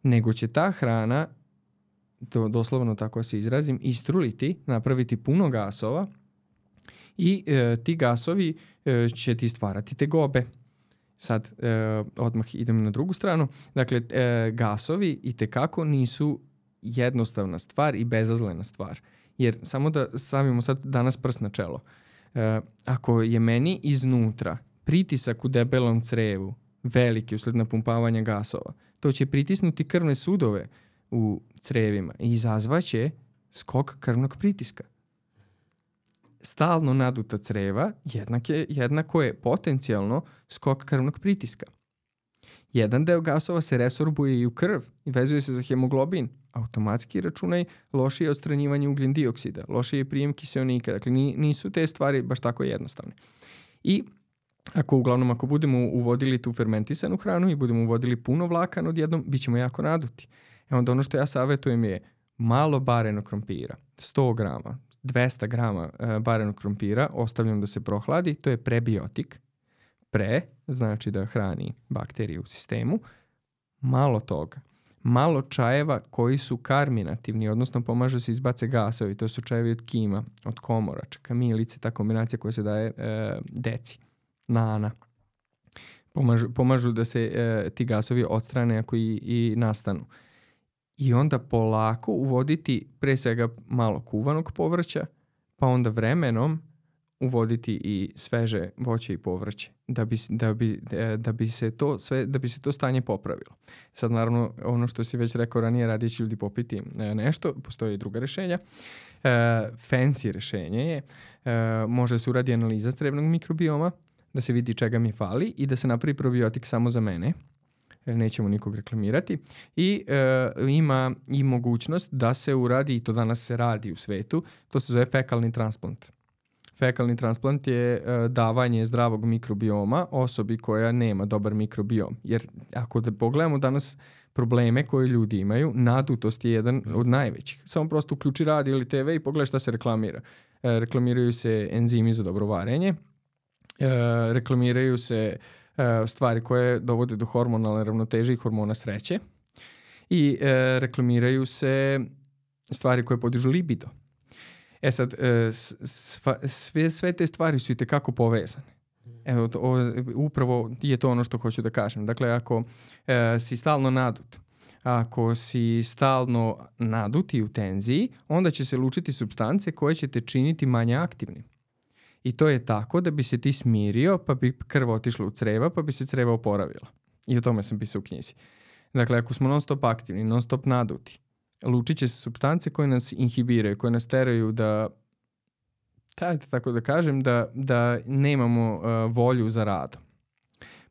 Nego će ta hrana, to doslovno tako se izrazim, istruliti, napraviti puno gasova, i e, ti gasovi e, će ti stvarati tegobe. Sad, e, odmah idem na drugu stranu. Dakle, e, gasovi itekako nisu jednostavna stvar i bezazlena stvar. Jer samo da stavimo sad danas prst na čelo. E, ako je meni iznutra pritisak u debelom crevu veliki usled napumpavanja gasova, to će pritisnuti krvne sudove u crevima i izazvaće skok krvnog pritiska. Stalno naduta creva jednak je, jednako je potencijalno skok krvnog pritiska. Jedan deo gasova se resorbuje i u krv i vezuje se za hemoglobin. Automatski računaj lošije odstranjivanje ugljen dioksida, lošije prijem kiseonika. Dakle, nisu te stvari baš tako jednostavne. I Ako uglavnom ako budemo uvodili tu fermentisanu hranu i budemo uvodili puno vlakana odjednom, bit ćemo jako naduti. E onda ono što ja savjetujem je malo barenog krompira, sto grama, dvesta grama e, barenog krompira, ostavljam da se prohladi, to je prebiotik. Pre, znači da hrani bakterije u sistemu, malo toga. Malo čajeva koji su karminativni, odnosno pomažu se izbace gasovi, to su čajevi od kima, od komorača, kamilice, ta kombinacija koja se daje e, deci, nana. Pomažu, pomažu da se e, ti gasovi odstrane ako i, i nastanu. I onda polako uvoditi pre svega malo kuvanog povrća, pa onda vremenom uvoditi i sveže voće i povrće da bi, da bi, da bi se to sve, da bi se to stanje popravilo. Sad naravno ono što si već rekao ranije, radije će ljudi popiti nešto, postoje i druga rešenja. E, fancy rešenje je, e, može se uradi analiza crevnog mikrobioma, da se vidi čega mi fali i da se napravi probiotik samo za mene. Nećemo nikog reklamirati. I e, ima i mogućnost da se uradi, i to danas se radi u svetu, to se zove fekalni transplant. Fekalni transplant je e, davanje zdravog mikrobioma osobi koja nema dobar mikrobiom. Jer ako da pogledamo danas probleme koje ljudi imaju, nadutost je jedan od najvećih. Samo prosto uključi radio ili te ve i pogledaj šta se reklamira. E, reklamiraju se enzimi za dobro varenje, e, reklamiraju se e, stvari koje dovode do hormonalne ravnoteže i hormona sreće i e, reklamiraju se stvari koje podižu libido. E sad, sva, sve, sve te stvari su i tekako povezane. Evo, to, o, upravo je to ono što hoću da kažem. Dakle, ako e, si stalno nadut, ako si stalno nadut i u tenziji, onda će se lučiti supstance koje će te činiti manje aktivnim. I to je tako da bi se ti smirio, pa bi krv otišla u creva, pa bi se creva oporavila. I o tome sam pisao u knjizi. Dakle, ako smo non stop aktivni, non stop naduti, lučit će se supstance koje nas inhibiraju, koje nas teraju da, tajte tako da kažem, da, da nemamo uh, volju za radom.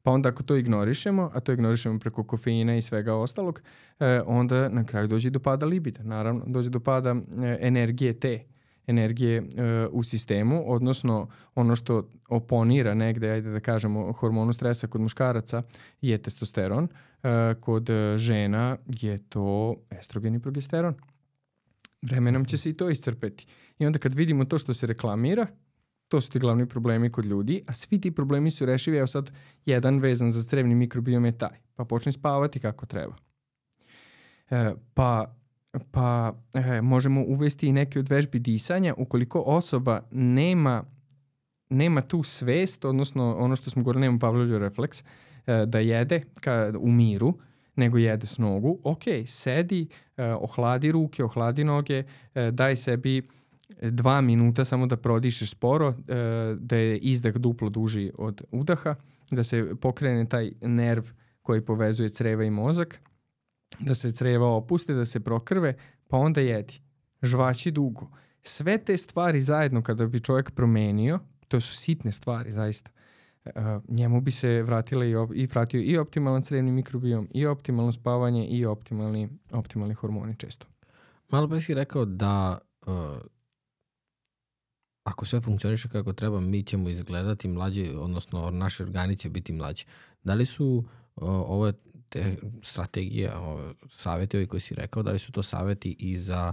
Pa onda ako to ignorišemo, a to ignorišemo preko kofeina i svega ostalog, uh, onda na kraju dođe do pada libida. Naravno, dođe do pada uh, energije te, energije uh, u sistemu, odnosno ono što oponira negde, ajde da kažemo, hormonu stresa kod muškaraca je testosteron, uh, kod žena je to estrogen i progesteron. Vremenom će se i to iscrpeti. I onda kad vidimo to što se reklamira, to su ti glavni problemi kod ljudi, a svi ti problemi su rešivi, evo sad jedan vezan za crevni mikrobiom je taj, pa počne spavati kako treba. E, pa pa e, možemo uvesti i neke od vežbi disanja ukoliko osoba nema, nema tu svest, odnosno ono što smo govorili, nema Pavlovljev refleks, e, da jede ka, u miru, nego jede s nogu. Ok, sedi, e, ohladi ruke, ohladi noge, e, daj sebi dva minuta samo da prodišeš sporo, e, da je izdah duplo duži od udaha, da se pokrene taj nerv koji povezuje creva i mozak, da se creva opuste, da se prokrve, pa onda jedi. Žvači dugo. Sve te stvari zajedno kada bi čovjek promenio, to su sitne stvari zaista, uh, njemu bi se vratila i, op- i vratio i optimalan crevni mikrobiom, i optimalno spavanje, i optimalni, optimalni hormoni često. Malo pre si rekao da uh, ako sve funkcioniše kako treba, mi ćemo izgledati mlađi, odnosno naši organi će biti mlađi. Da li su uh, ove te strategije, ove savjeti ovi koji si rekao, da li su to savjeti i za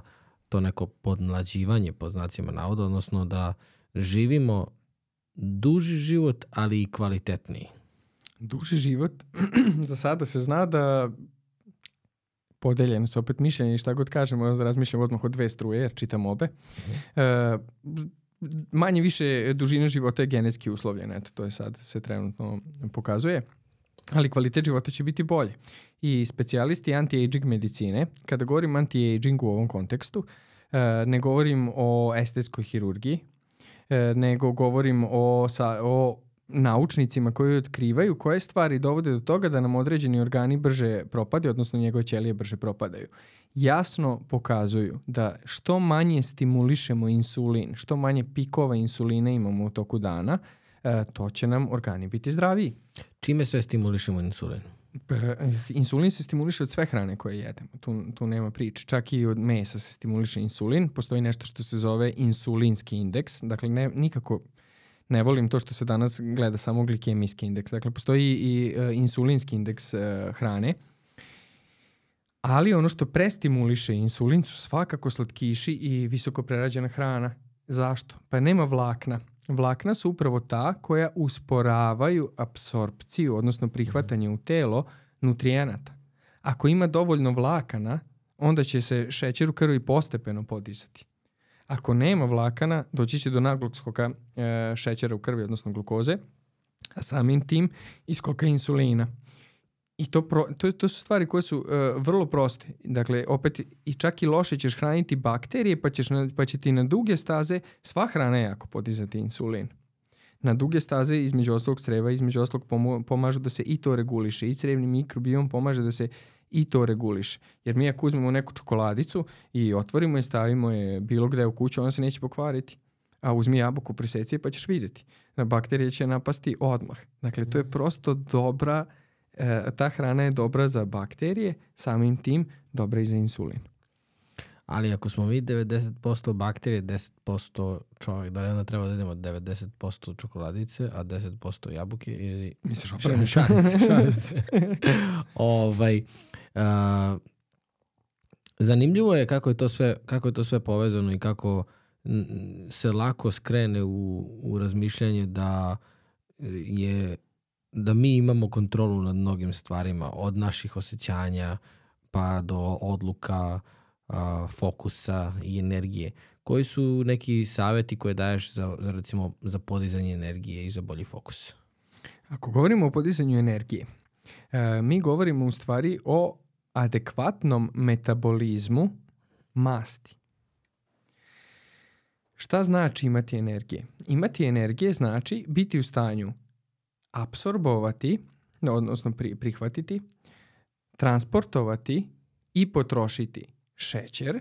to neko podmlađivanje, pod znacima navoda, odnosno da živimo duži život, ali i kvalitetniji? Duži život, za sada se zna da podeljeno se opet mišljenje i šta god kažemo, da razmišljamo odmah od dve struje, jer čitam obe. Uh-huh. E, manje više dužina života je genetski uslovljena, eto, to je sad se trenutno pokazuje, ali kvalitet života će biti bolje. I specijalisti anti-aging medicine, kada govorim anti-aging u ovom kontekstu, ne govorim o estetskoj hirurgiji, nego govorim o, sa, o naučnicima koji otkrivaju koje stvari dovode do toga da nam određeni organi brže propadaju, odnosno njegove ćelije brže propadaju. Jasno pokazuju da što manje stimulišemo insulin, što manje pikova insulina imamo u toku dana, to će nam organi biti zdraviji. Čime sve stimulišemo insulin? Insulin se stimuliše od sve hrane koje jedemo. Tu, tu nema priče. Čak i od mesa se stimuliše insulin. Postoji nešto što se zove insulinski indeks. Dakle, ne, nikako Ne volim to što se danas gleda samo glikemijski indeks. Dakle, postoji i uh, insulinski indeks uh, hrane. Ali ono što prestimuliše insulin su svakako slatkiši i visoko prerađena hrana. Zašto? Pa nema vlakna. Vlakna su upravo ta koja usporavaju apsorpciju, odnosno prihvatanje u telo nutrijenata. Ako ima dovoljno vlakana, onda će se šećer u krvi postepeno podizati. Ako nema vlakana, doći će do naglog skoka e, šećera u krvi, odnosno glukoze, a samim tim i skoka insulina. I to, pro, to, to su stvari koje su uh, vrlo proste. Dakle, opet i čak i loše ćeš hraniti bakterije, pa, ćeš na, pa će ti na duge staze sva hrana jako podizati insulin. Na duge staze između ostalog creva, između ostalog pomo, pomažu da se i to reguliše. I crevni mikrobiom pomaže da se i to reguliše. Jer mi ako uzmemo neku čokoladicu i otvorimo je, stavimo je bilo gde u kuću, ona se neće pokvariti. A uzmi jabuku, preseci je pa ćeš vidjeti. Bakterije će napasti odmah. Dakle, to je prosto dobra... E, ta hrana je dobra za bakterije, samim tim dobra i za insulin. Ali ako smo mi devedeset posto bakterije, deset posto čovjek, da li onda treba da idemo devedeset posto čokoladice, a deset posto jabuke? Ili... Misliš opravo? Šalim se, šalim se. ovaj, a, zanimljivo je kako je to sve, kako je to sve povezano i kako se lako skrene u, u razmišljanje da je da mi imamo kontrolu nad mnogim stvarima, od naših osjećanja pa do odluka, a, fokusa i energije. Koji su neki savjeti koje daješ za, za, recimo, za podizanje energije i za bolji fokus? Ako govorimo o podizanju energije, e, mi govorimo u stvari o adekvatnom metabolizmu masti. Šta znači imati energije? Imati energije znači biti u stanju apsorbovati, odnosno pri, prihvatiti, transportovati i potrošiti šećer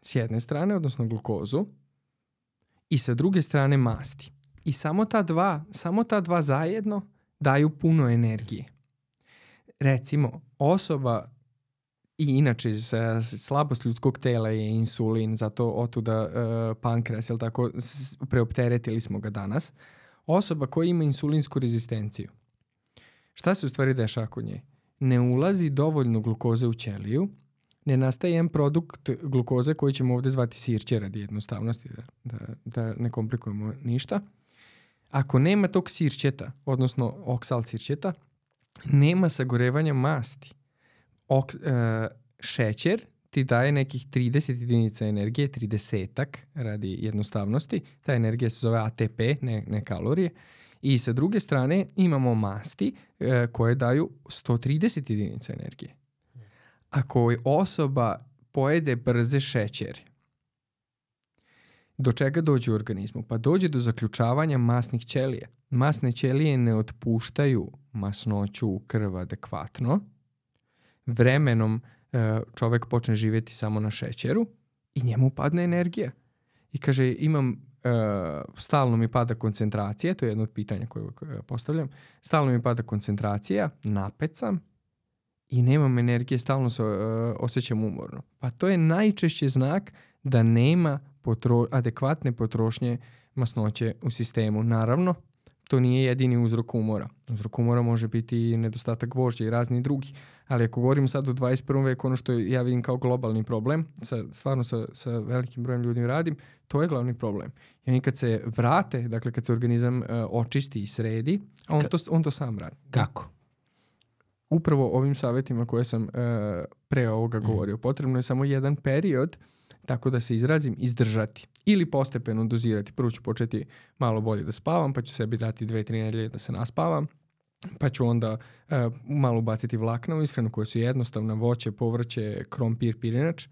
s jedne strane, odnosno glukozu, i sa druge strane masti. I samo ta dva, samo ta dva zajedno daju puno energije. Recimo, osoba i inače slabost ljudskog tela je insulin, zato otuda uh, pankreas, jel tako, preopteretili smo ga danas. Osoba koja ima insulinsku rezistenciju. Šta se u stvari dešava kod nje? Ne ulazi dovoljno glukoze u ćeliju, ne nastaje jedan produkt glukoze koji ćemo ovdje zvati sirće radi jednostavnosti, da, da, da ne komplikujemo ništa. Ako nema tog sirćeta, odnosno oksal sirćeta, nema sagorevanja masti. Ok, e, šećer ti daje nekih trideset jedinica energije, tridesetak radi jednostavnosti. Ta energija se zove A T P, ne, ne kalorije. I sa druge strane imamo masti e, koje daju sto trideset jedinica energije. Ako osoba pojede brze šećere, do čega dođe u organizmu? Pa dođe do zaključavanja masnih ćelija. Masne ćelije ne otpuštaju masnoću u krv adekvatno. Vremenom čovjek počne živjeti samo na šećeru i njemu padne energija. I kaže, imam, uh, stalno mi pada koncentracija, to je jedno od pitanja koje postavljam, stalno mi pada koncentracija, napet sam i nemam energije, stalno se uh, osjećam umorno. Pa to je najčešće znak da nema potro- adekvatne potrošnje masnoće u sistemu. Naravno, to nije jedini uzrok umora. Uzrok umora može biti i nedostatak vožđa i razni drugi. Ali ako govorim sad u dvadeset prvom veku, ono što ja vidim kao globalni problem, sa, stvarno sa, sa velikim brojem ljudi radim, to je glavni problem. I oni kad se vrate, dakle kad se organizam uh, očisti i sredi, on, Ka- to, on to sam radi. Kako? Upravo ovim savjetima koje sam uh, pre ovoga govorio. Mm. Potrebno je samo jedan period, tako da se izrazim, izdržati. Ili postepeno dozirati. Prvo ću početi malo bolje da spavam, pa ću sebi dati dve, tri nedelje da se naspavam. Pa ću onda uh, malo ubaciti vlakna u ishranu koje su jednostavna, voće, povrće, krompir, pirinač.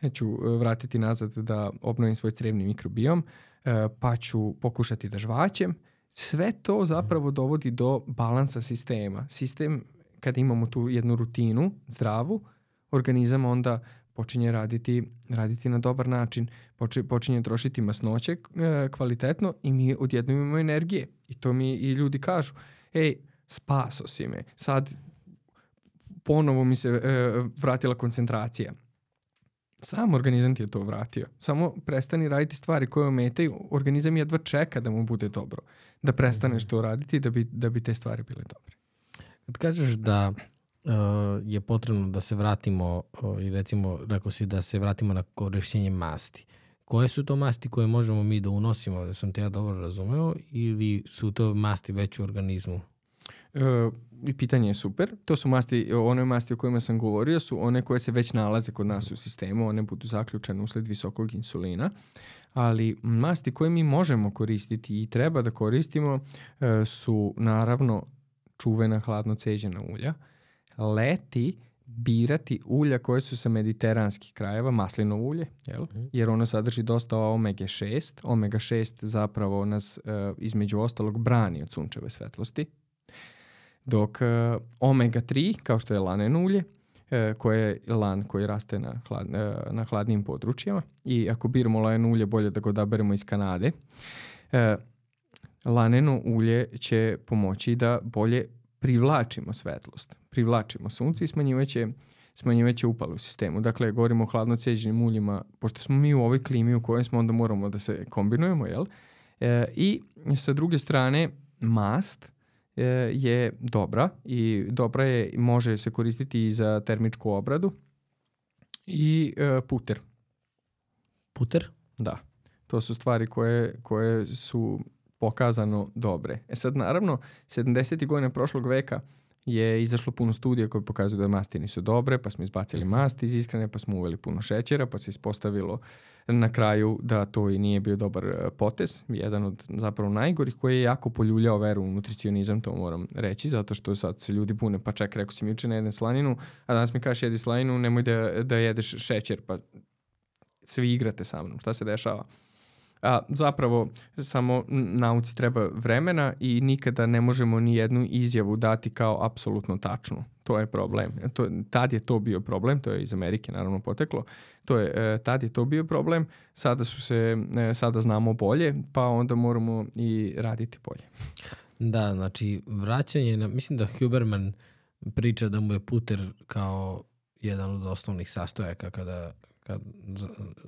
E, ću uh, vratiti nazad da obnovim svoj crevni mikrobiom, uh, pa ću pokušati da žvaćem. Sve to zapravo dovodi do balansa sistema. Sistem, kada imamo tu jednu rutinu zdravu, organizam onda počinje raditi, raditi na dobar način, Poči, počinje trošiti masnoće e, kvalitetno i mi odjednom imamo energije. I to mi i ljudi kažu, ej, spaso si me, sad ponovo mi se e, vratila koncentracija. Sam organizam ti je to vratio. Samo prestani raditi stvari koje ometaju. Organizam jedva čeka da mu bude dobro. Da prestaneš to raditi da bi, da bi te stvari bile dobre. Kad kažeš da uh, je potrebno da se vratimo, uh, i recimo, rekao si da se vratimo na korišćenje masti. Koje su to masti koje možemo mi da unosimo, da sam te ja dobro razumeo, ili su to masti već u organizmu? Uh, I pitanje je super. To su masti, one masti o kojima sam govorio su one koje se već nalaze kod nas u sistemu. One budu zaključene usled visokog insulina. Ali masti koje mi možemo koristiti i treba da koristimo uh, su naravno čuvena hladno ceđena ulja. Leti birati ulja koje su sa mediteranskih krajeva, maslinovo ulje, jel? Jer ono sadrži dosta omega šest. omega šest zapravo nas uh, između ostalog brani od sunčeve svetlosti. Dok uh, omega tri, kao što je laneno ulje, uh, koje je lan koji raste na, hlad, uh, na hladnim područjima, i ako biramo laneno ulje, bolje da ga odaberemo iz Kanade, uh, laneno ulje će pomoći da bolje privlačimo svetlost, privlačimo sunce i smanjivaće, smanjivaće upale u sistemu. Dakle, govorimo o hladno ceđenim uljima, pošto smo mi u ovoj klimi u kojoj smo, onda moramo da se kombinujemo, jel? E, I sa druge strane, mast e, je dobra i dobra je, može se koristiti i za termičku obradu i e, puter. Puter? Da, to su stvari koje, koje su pokazano dobre. E sad, naravno, sedamdesetih godina prošlog veka je izašlo puno studija koje pokazuju da masti nisu dobre, pa smo izbacili masti iz ishrane, pa smo uveli puno šećera, pa se ispostavilo na kraju da to i nije bio dobar potez. Jedan od zapravo najgorih koji je jako poljuljao veru u nutricionizam, to moram reći, zato što sad se ljudi bune, pa ček, rekao si mi juče ne jedem slaninu, a danas mi kažeš jedi slaninu, nemoj da, da jedeš šećer, pa svi igrate sa mnom. Šta se dešava? A zapravo samo nauci treba vremena i nikada ne možemo ni jednu izjavu dati kao apsolutno tačnu. To je problem. To, tad je to bio problem, to je iz Amerike naravno poteklo. To je, tad je to bio problem, sada su se, sada znamo bolje, pa onda moramo i raditi bolje. Da, znači vraćanje, na, mislim da Huberman priča da mu je puter kao jedan od osnovnih sastojaka kada Kad,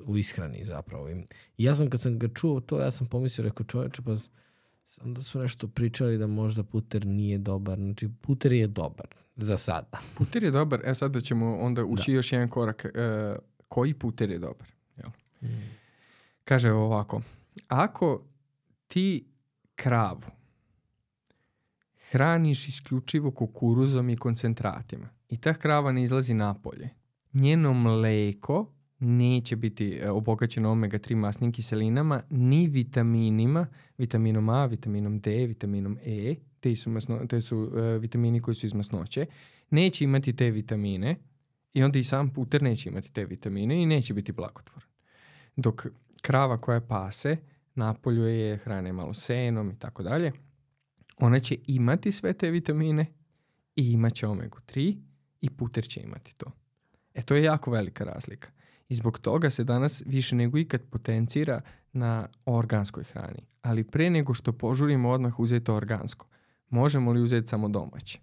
u ishrani zapravo. I ja sam kad sam ga čuo to, ja sam pomislio, rekao čoveče, pa onda su nešto pričali da možda puter nije dobar. Znači, puter je dobar za sada. Puter je dobar, e sad da ćemo onda ući da. još jedan korak. E, koji puter je dobar? Jel? Mm. Kaže ovako, ako ti kravu hraniš isključivo kukuruzom i koncentratima i ta krava ne izlazi napolje, njeno mleko neće biti obogaćeno omega tri masnim kiselinama, ni vitaminima, vitaminom A, vitaminom D, vitaminom E, te su, masno, te su uh, vitamini koji su iz masnoće, neće imati te vitamine i onda i sam puter neće imati te vitamine i neće biti blagotvoran. Dok krava koja pase, napolju je hrane malo senom i tako dalje, ona će imati sve te vitamine i imaće omega tri i puter će imati to. E, to je jako velika razlika. I zbog toga se danas više nego ikad potencira na organskoj hrani. Ali pre nego što požurimo odmah uzeti organsko, možemo li uzeti samo domaće?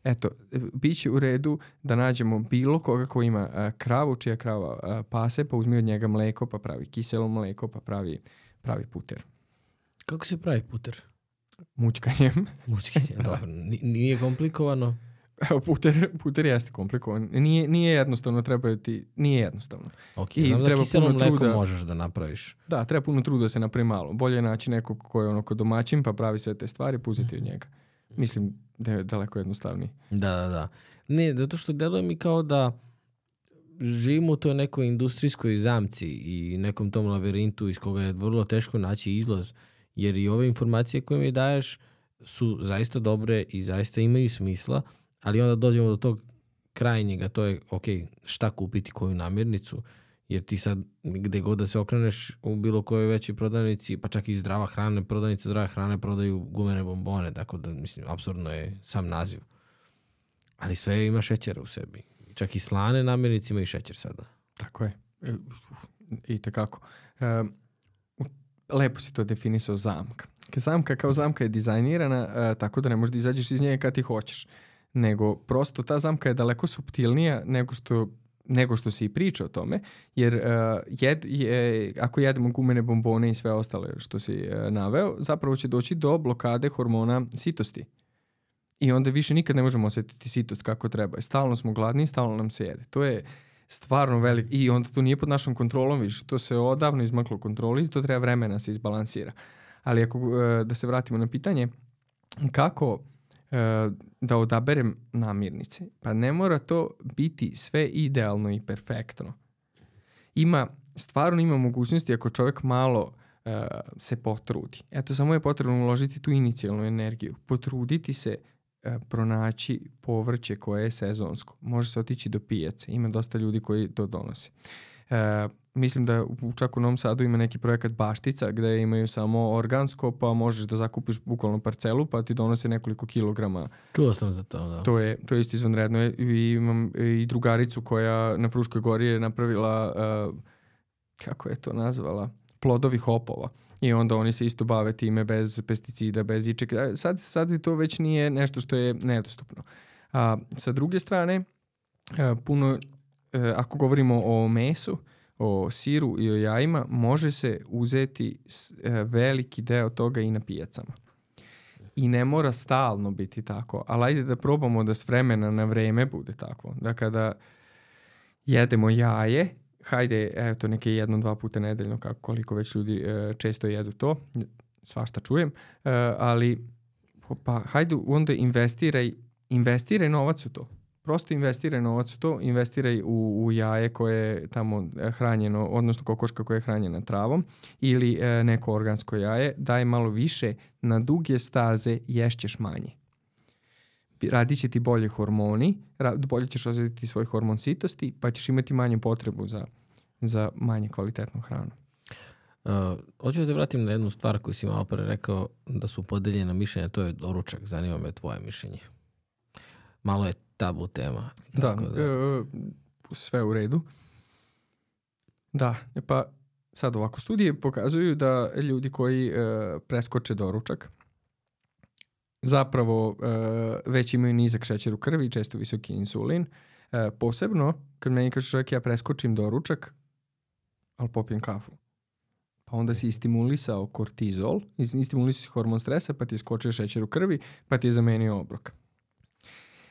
Eto, bit će u redu da nađemo bilo koga ko ima a, kravu, čija krava a, pase, pa uzmi od njega mleko, pa pravi kiselo mleko, pa pravi, pravi puter. Kako se pravi puter? Mučkanjem. Mučkanjem, dobro. Nije komplikovano? Puter, puter jeste komplikovan. Nije, nije jednostavno, treba ti, nije jednostavno. Ok, I znam da kiselo mleko truda, možeš da napraviš. Da, treba puno truda da se napravi malo. Bolje je naći nekog ko je ono ko domaćin pa pravi sve te stvari, puzeti od njega. Mislim da je daleko jednostavniji. Da, da, da. Ne, zato što deluje mi kao da živimo u toj nekoj industrijskoj zamci i nekom tom labirintu iz koga je vrlo teško naći izlaz, jer i ove informacije koje mi daješ su zaista dobre i zaista imaju smisla, ali onda dođemo do tog krajnjega, to je ok, šta kupiti, koju namirnicu, jer ti sad gde god da se okreneš u bilo kojoj većoj prodavnici, pa čak i zdrava hrana, prodavnice zdrave hrane prodaju gumene bombone, tako da mislim, apsurdno je sam naziv. Ali sve ima šećera u sebi. Čak i slane namirnice imaju šećer sada. Tako je. I tekako. E, lepo si to definisao zamka. Zamka kao zamka je dizajnirana e, tako da ne možeš da izađeš iz nje kad ti hoćeš. Nego prosto ta zamka je daleko suptilnija nego što nego što se i priča o tome, jer uh, jed, je, ako jedemo gumene bombone i sve ostale što si uh, naveo, zapravo će doći do blokade hormona sitosti. I onda više nikad ne možemo osjetiti sitost kako treba. Stalno smo gladni i stalno nam se jede. To je stvarno veliko. I onda to nije pod našom kontrolom više. To se odavno izmaklo kontroli i to treba vremena se izbalansira. Ali ako, uh, da se vratimo na pitanje, kako uh, da odaberem namirnice? Pa ne mora to biti sve idealno i perfektno. Ima, stvarno ima mogućnosti ako čovjek malo uh, se potrudi. Eto, samo je potrebno uložiti tu inicijalnu energiju. Potruditi se uh, pronaći povrće koje je sezonsko. Može se otići do pijace. Ima dosta ljudi koji to donose. Uh, mislim da u, čak u Novom Sadu ima neki projekat Baštica gde imaju samo organsko, pa možeš da zakupiš bukvalno parcelu pa ti donose nekoliko kilograma. Čuo sam za to, da. To je, to je isto izvanredno. I imam i drugaricu koja na Fruškoj gori je napravila, uh, kako je to nazvala, plodovi hopova. I onda oni se isto bave time bez pesticida, bez ičega. Sad, sad to već nije nešto što je nedostupno. A sa druge strane, uh, puno, uh, ako govorimo o mesu, o siru i o jajima, može se uzeti veliki deo toga i na pijacama. I ne mora stalno biti tako, ali ajde da probamo da s vremena na vreme bude tako. Da kada jedemo jaje, hajde, eto, neke jedno, dva puta nedeljno, kako koliko već ljudi e, često jedu to, svašta čujem, e, ali pa hajde onda investiraj, investiraj novac u to. Prosto investiraj novac u to, investiraj u, u jaje koje je tamo hranjeno, odnosno kokoška koja je hranjena travom ili e, neko organsko jaje, daj malo više, na duge staze ješćeš manje. Radit će ti bolje hormoni, bolje ćeš osjetiti svoj hormon sitosti, pa ćeš imati manju potrebu za, za manje kvalitetnu hranu. Uh, hoću da te vratim na jednu stvar koju si malo pre rekao da su podeljena mišljenja, to je doručak. Zanima me tvoje mišljenje. Malo je tabu tema. Da, da. E, sve u redu. Da, pa sad ovako, studije pokazuju da ljudi koji e, preskoče doručak zapravo e, već imaju nizak šećer u krvi i često visoki insulin. E, posebno, kad meni kaže čovjek ja preskočim doručak, ali popijem kafu. Pa onda si istimulisao kortizol, istimulisao si hormon stresa, pa ti je skočio šećer u krvi, pa ti je zamenio obrok.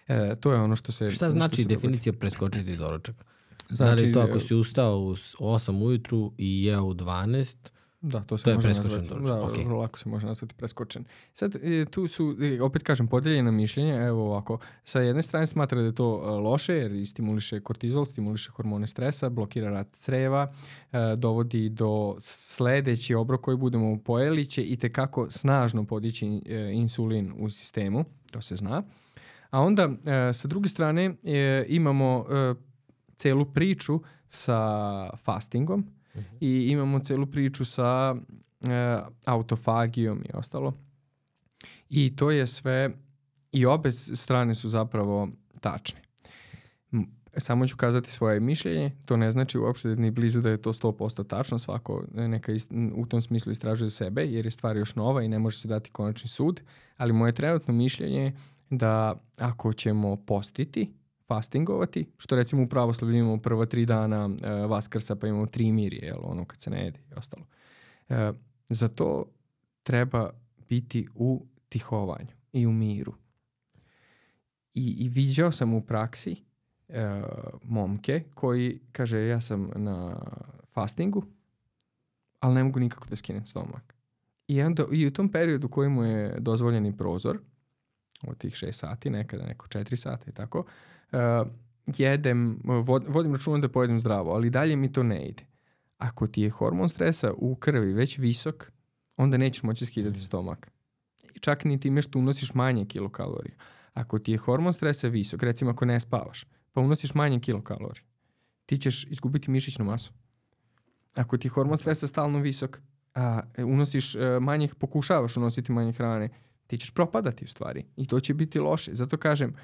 E, to je ono što se... Šta znači se definicija dogodi. Preskočiti doručak? Znači, znači to ako si ustao u osam ujutru i jeo u dvanaest, da, to, se to je može preskočen nazvati, doručak. Da, okay. vrlo lako se može nazvati preskočen. Sad, tu su, opet kažem, podeljena mišljenja, evo ovako, sa jedne strane smatra da je to loše, jer stimuliše kortizol, stimuliše hormone stresa, blokira rad creva, dovodi do sledeći obrok koji budemo pojeli, će i tekako snažno podići insulin u sistemu, to se zna. A onda, sa druge strane, imamo celu priču sa fastingom, uh-huh. i imamo celu priču sa e, autofagijom i ostalo. I to je sve, i obe strane su zapravo tačne. Samo ću kazati svoje mišljenje, to ne znači uopšte ni blizu da je to sto posto tačno, svako neka ist, u tom smislu istražuje sebe, jer je stvar još nova i ne može se dati konačni sud, ali moje trenutno mišljenje je da ako ćemo postiti, fastingovati, što recimo u pravoslavlju imamo prva tri dana e, Vaskrsa, pa imamo tri mirje, jel, ono kad se ne jede i ostalo. E, za to treba biti u tihovanju i u miru. I, i viđao sam u praksi e, momke koji kaže ja sam na fastingu, ali ne mogu nikako da skinem stomak. I onda i u tom periodu koji mu je dozvoljeni prozor, od tih šest sati, nekada neko četiri sata i tako, Uh, jedem, vod, vodim računom da pojedem zdravo, ali dalje mi to ne ide. Ako ti je hormon stresa u krvi već visok, onda nećeš moći skidati stomak. Čak ni time što unosiš manje kilokalorija. Ako ti je hormon stresa visok, recimo ako ne spavaš, pa unosiš manje kilokalorija, ti ćeš izgubiti mišićnu masu. Ako ti je hormon stresa stalno visok, a unosiš uh, manje, pokušavaš unositi manje hrane, ti ćeš propadati u stvari i to će biti loše. Zato kažem,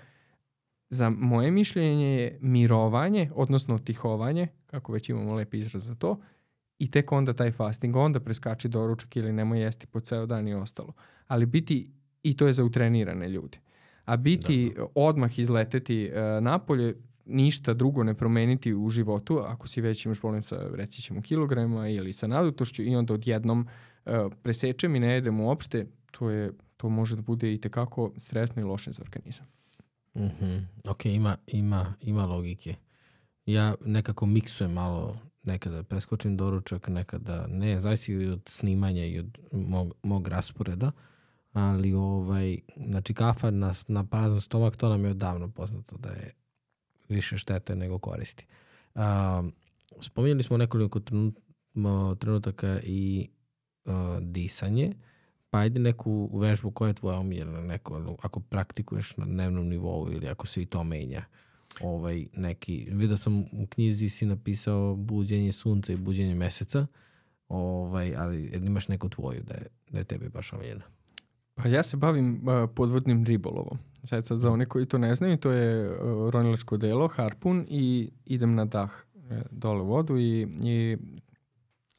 za moje mišljenje je mirovanje, odnosno tihovanje, kako već imamo lep izraz za to, i tek onda taj fasting, onda preskači doručak ili nemoj jesti po ceo dan i ostalo. Ali biti, i to je za utrenirane ljude, a biti da. odmah izleteti uh, napolje, ništa drugo ne promeniti u životu, ako si već imaš problem sa, reći ćemo, kilograma ili sa nadutošću i onda odjednom uh, presečem i ne jedem uopšte, to, je, to može da bude i tekako stresno i loše za organizam. Mm-hmm. Ok, ima, ima, ima logike. Ja nekako miksujem malo, nekada preskočim doručak, nekada ne, zavisi i od snimanja i od mog, mog rasporeda, ali ovaj, znači kafa na, na prazan stomak, to nam je odavno poznato da je više štete nego koristi. Um, spominjali smo nekoliko trenut, trenutaka i uh, disanje, pa ajde neku vežbu koja je tvoja omiljena, neko, ako praktikuješ na dnevnom nivou ili ako se i to menja. Ovaj, neki, vidio sam u knjizi si napisao buđenje sunca i buđenje meseca, ovaj, ali imaš neku tvoju da je, da je tebi baš omiljena? Pa ja se bavim uh, podvodnim ribolovom. Sad, sad za one koji to ne znaju, to je uh, ronilačko delo, harpun i idem na dah uh, dole u vodu i, i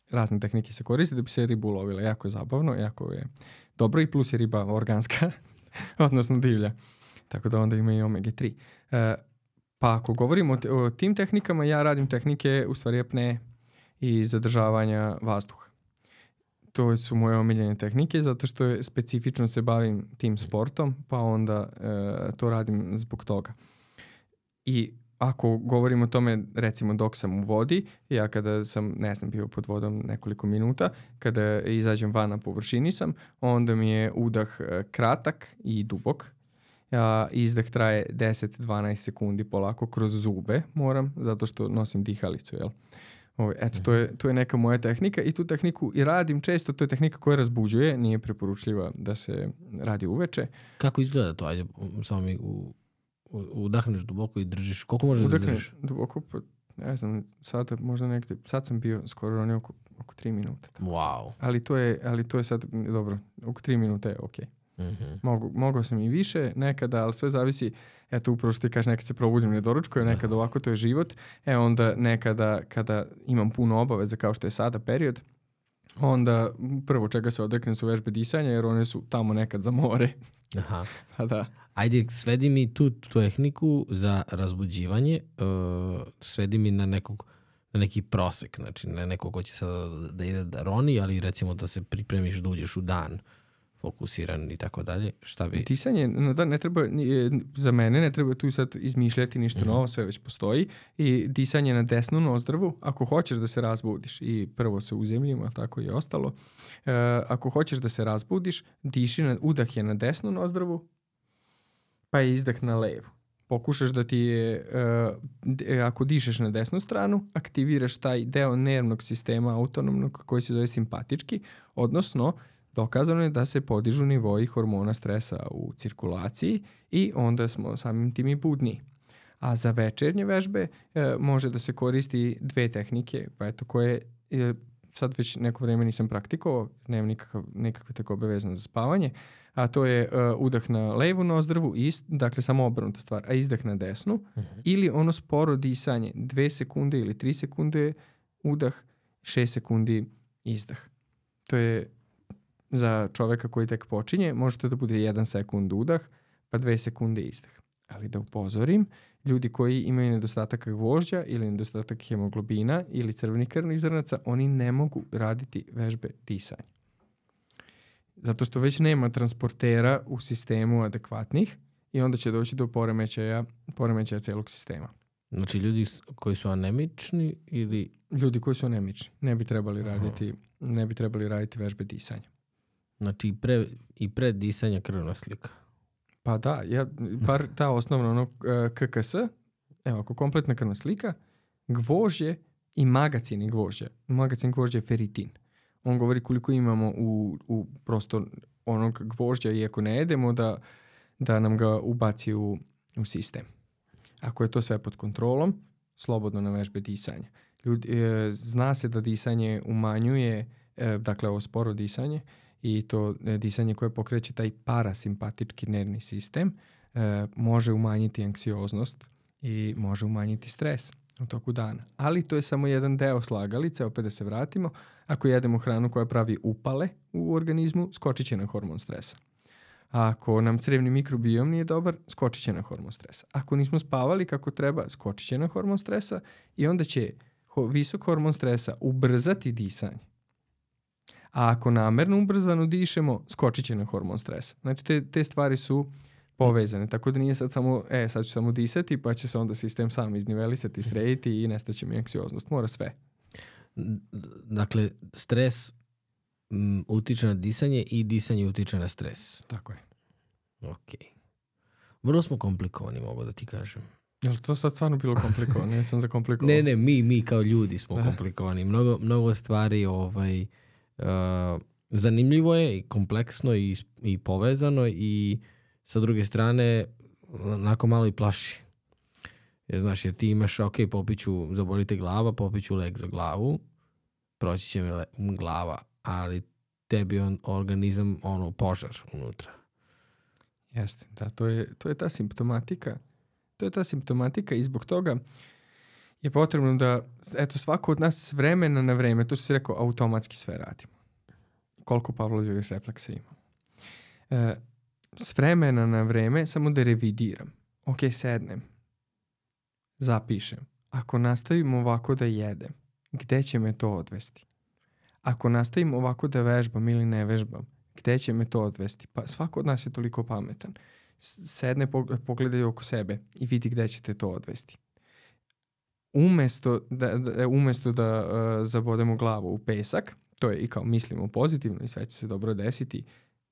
razne tehnike se koriste da bi se ribu ulovila. Jako je zabavno, jako je dobro i plus je riba organska, odnosno divlja. Tako da onda ima i omega tri. Uh, pa ako govorimo o, te, o tim tehnikama, ja radim tehnike u stvari apne i zadržavanja vazduha. To su moje omiljene tehnike zato što je specifično se bavim tim sportom, pa onda e, to radim zbog toga. I ako govorim o tome, recimo dok sam u vodi, ja kada sam, ne znam, bio pod vodom nekoliko minuta, kada izađem van na površini sam, onda mi je udah kratak i dubok. A izdah traje deset do dvanaest sekundi polako kroz zube moram, zato što nosim dihalicu, jel? Ovo, eto, to je, to je neka moja tehnika i tu tehniku i radim često, to je tehnika koja razbuđuje, nije preporučljiva da se radi uveče. Kako izgleda to? Ajde, samo mi u, u, udahneš duboko i držiš. Koliko možeš Udahneš da držiš? duboko, pa ne znam, sad možda nekde, sad sam bio skoro ronio oko, oko tri minuta. Tako Wow. ali, to je, ali to je sad, dobro, oko tri minuta je okej. Mm-hmm. Mogu, mogao sam i više nekada, ali sve zavisi, eto upravo što ti kažeš, nekad se probudim ne doručkujem, nekad ovako, to je život, e onda nekada kada imam puno obaveza kao što je sada period, onda prvo čega se odreknem su vežbe disanja jer one su tamo nekad za more. Aha. Pa da. Ajde, svedi mi tu tehniku za razbuđivanje, uh, svedi mi na nekog na neki prosek, znači ne nekog ko će sada da ide da roni, ali recimo da se pripremiš da uđeš u dan fokusiran i tako dalje, šta bi... Disanje, no da, ne treba, za mene ne treba tu sad izmišljati ništa mm-hmm. novo, sve već postoji i disanje na desnu nozdrvu, ako hoćeš da se razbudiš i prvo se uzemljimo, tako i ostalo, e, ako hoćeš da se razbudiš, diši, na, udah je na desnu nozdrvu, pa je izdah na levu. Pokušaš da ti je, e, ako dišeš na desnu stranu, aktiviraš taj deo nervnog sistema autonomnog koji se zove simpatički, odnosno dokazano je da se podižu nivoji hormona stresa u cirkulaciji i onda smo samim tim i budni. A za večernje vežbe e, može da se koristi dve tehnike, pa eto koje e, sad već neko vreme nisam praktikovao, nemam nikakav, nikakve tekobe vezano za spavanje, a to je e, udah na levu nozdrvu, ist, dakle samo obrnuta stvar, a izdah na desnu, uh-huh. ili ono sporo disanje, dve sekunde ili tri sekunde udah, šest sekundi izdah. To je za čoveka koji tek počinje, možete da bude jedan sekund udah, pa dve sekunde izdah. Ali da upozorim, ljudi koji imaju nedostatak gvožđa ili nedostatak hemoglobina ili crvenih krvnih zrnaca, oni ne mogu raditi vežbe disanja. Zato što već nema transportera u sistemu adekvatnih i onda će doći do poremećaja, poremećaja celog sistema. Znači ljudi koji su anemični ili... Ljudi koji su anemični ne bi trebali raditi, ne bi trebali raditi vežbe disanja. Znači i pre, i pre disanja krvna slika. Pa da, ja, bar ta osnovna ono, K K S, evo ako kompletna krvna slika, gvožđe i magacini gvožđa. Magacin gvožđa je feritin. On govori koliko imamo u, u prosto onog gvožđa i ako ne jedemo da, da nam ga ubaci u, u sistem. Ako je to sve pod kontrolom, slobodno na vežbe disanja. Ljudi, e, zna se da disanje umanjuje, e, dakle ovo sporo disanje, i to e, disanje koje pokreće taj parasimpatički nervni sistem e, može umanjiti anksioznost i može umanjiti stres u toku dana. Ali to je samo jedan deo slagalice, opet da se vratimo. Ako jedemo hranu koja pravi upale u organizmu, skočit će na hormon stresa. A ako nam crevni mikrobiom nije dobar, skočit će na hormon stresa. Ako nismo spavali kako treba, skočit će na hormon stresa i onda će ho- visok hormon stresa ubrzati disanje. A ako namerno ubrzano dišemo, skočit će na hormon stresa. Znači te, te stvari su povezane. Tako da nije sad samo, e, sad ću samo disati, pa će se onda sistem sam iznivelisati, srediti i nestaće mi anksioznost. Mora sve. Dakle, stres m, utiče na disanje i disanje utiče na stres. Tako je. Ok. Vrlo smo komplikovani, mogu da ti kažem. Je li to sad stvarno bilo komplikovano? Ja sam zakomplikovao. Ne, ne, mi, mi kao ljudi smo Da. komplikovani. Mnogo, mnogo stvari ovaj, uh, zanimljivo je i kompleksno i, i povezano i sa druge strane onako malo i plaši. Jer, znaš, jer ti imaš, ok, popiću, zabolite glava, popiću lek za glavu, proći će mi le, glava, ali tebi on organizam, ono, požar unutra. Jeste, da, to je, to je ta simptomatika. To je ta simptomatika i zbog toga je potrebno da, eto, svako od nas s vremena na vreme, to što si rekao, automatski sve radimo. Koliko Pavlovljevih refleksa imamo. E, s vremena na vreme samo da revidiram. Ok, sednem. Zapišem. Ako nastavim ovako da jedem, gde će me to odvesti? Ako nastavim ovako da vežbam ili ne vežbam, gde će me to odvesti? Pa svako od nas je toliko pametan. Sedne, pogledaj oko sebe i vidi gde će te to odvesti. Umesto da, da, umesto da uh, zabodemo glavu u pesak, to je i kao mislimo pozitivno i sve će se dobro desiti,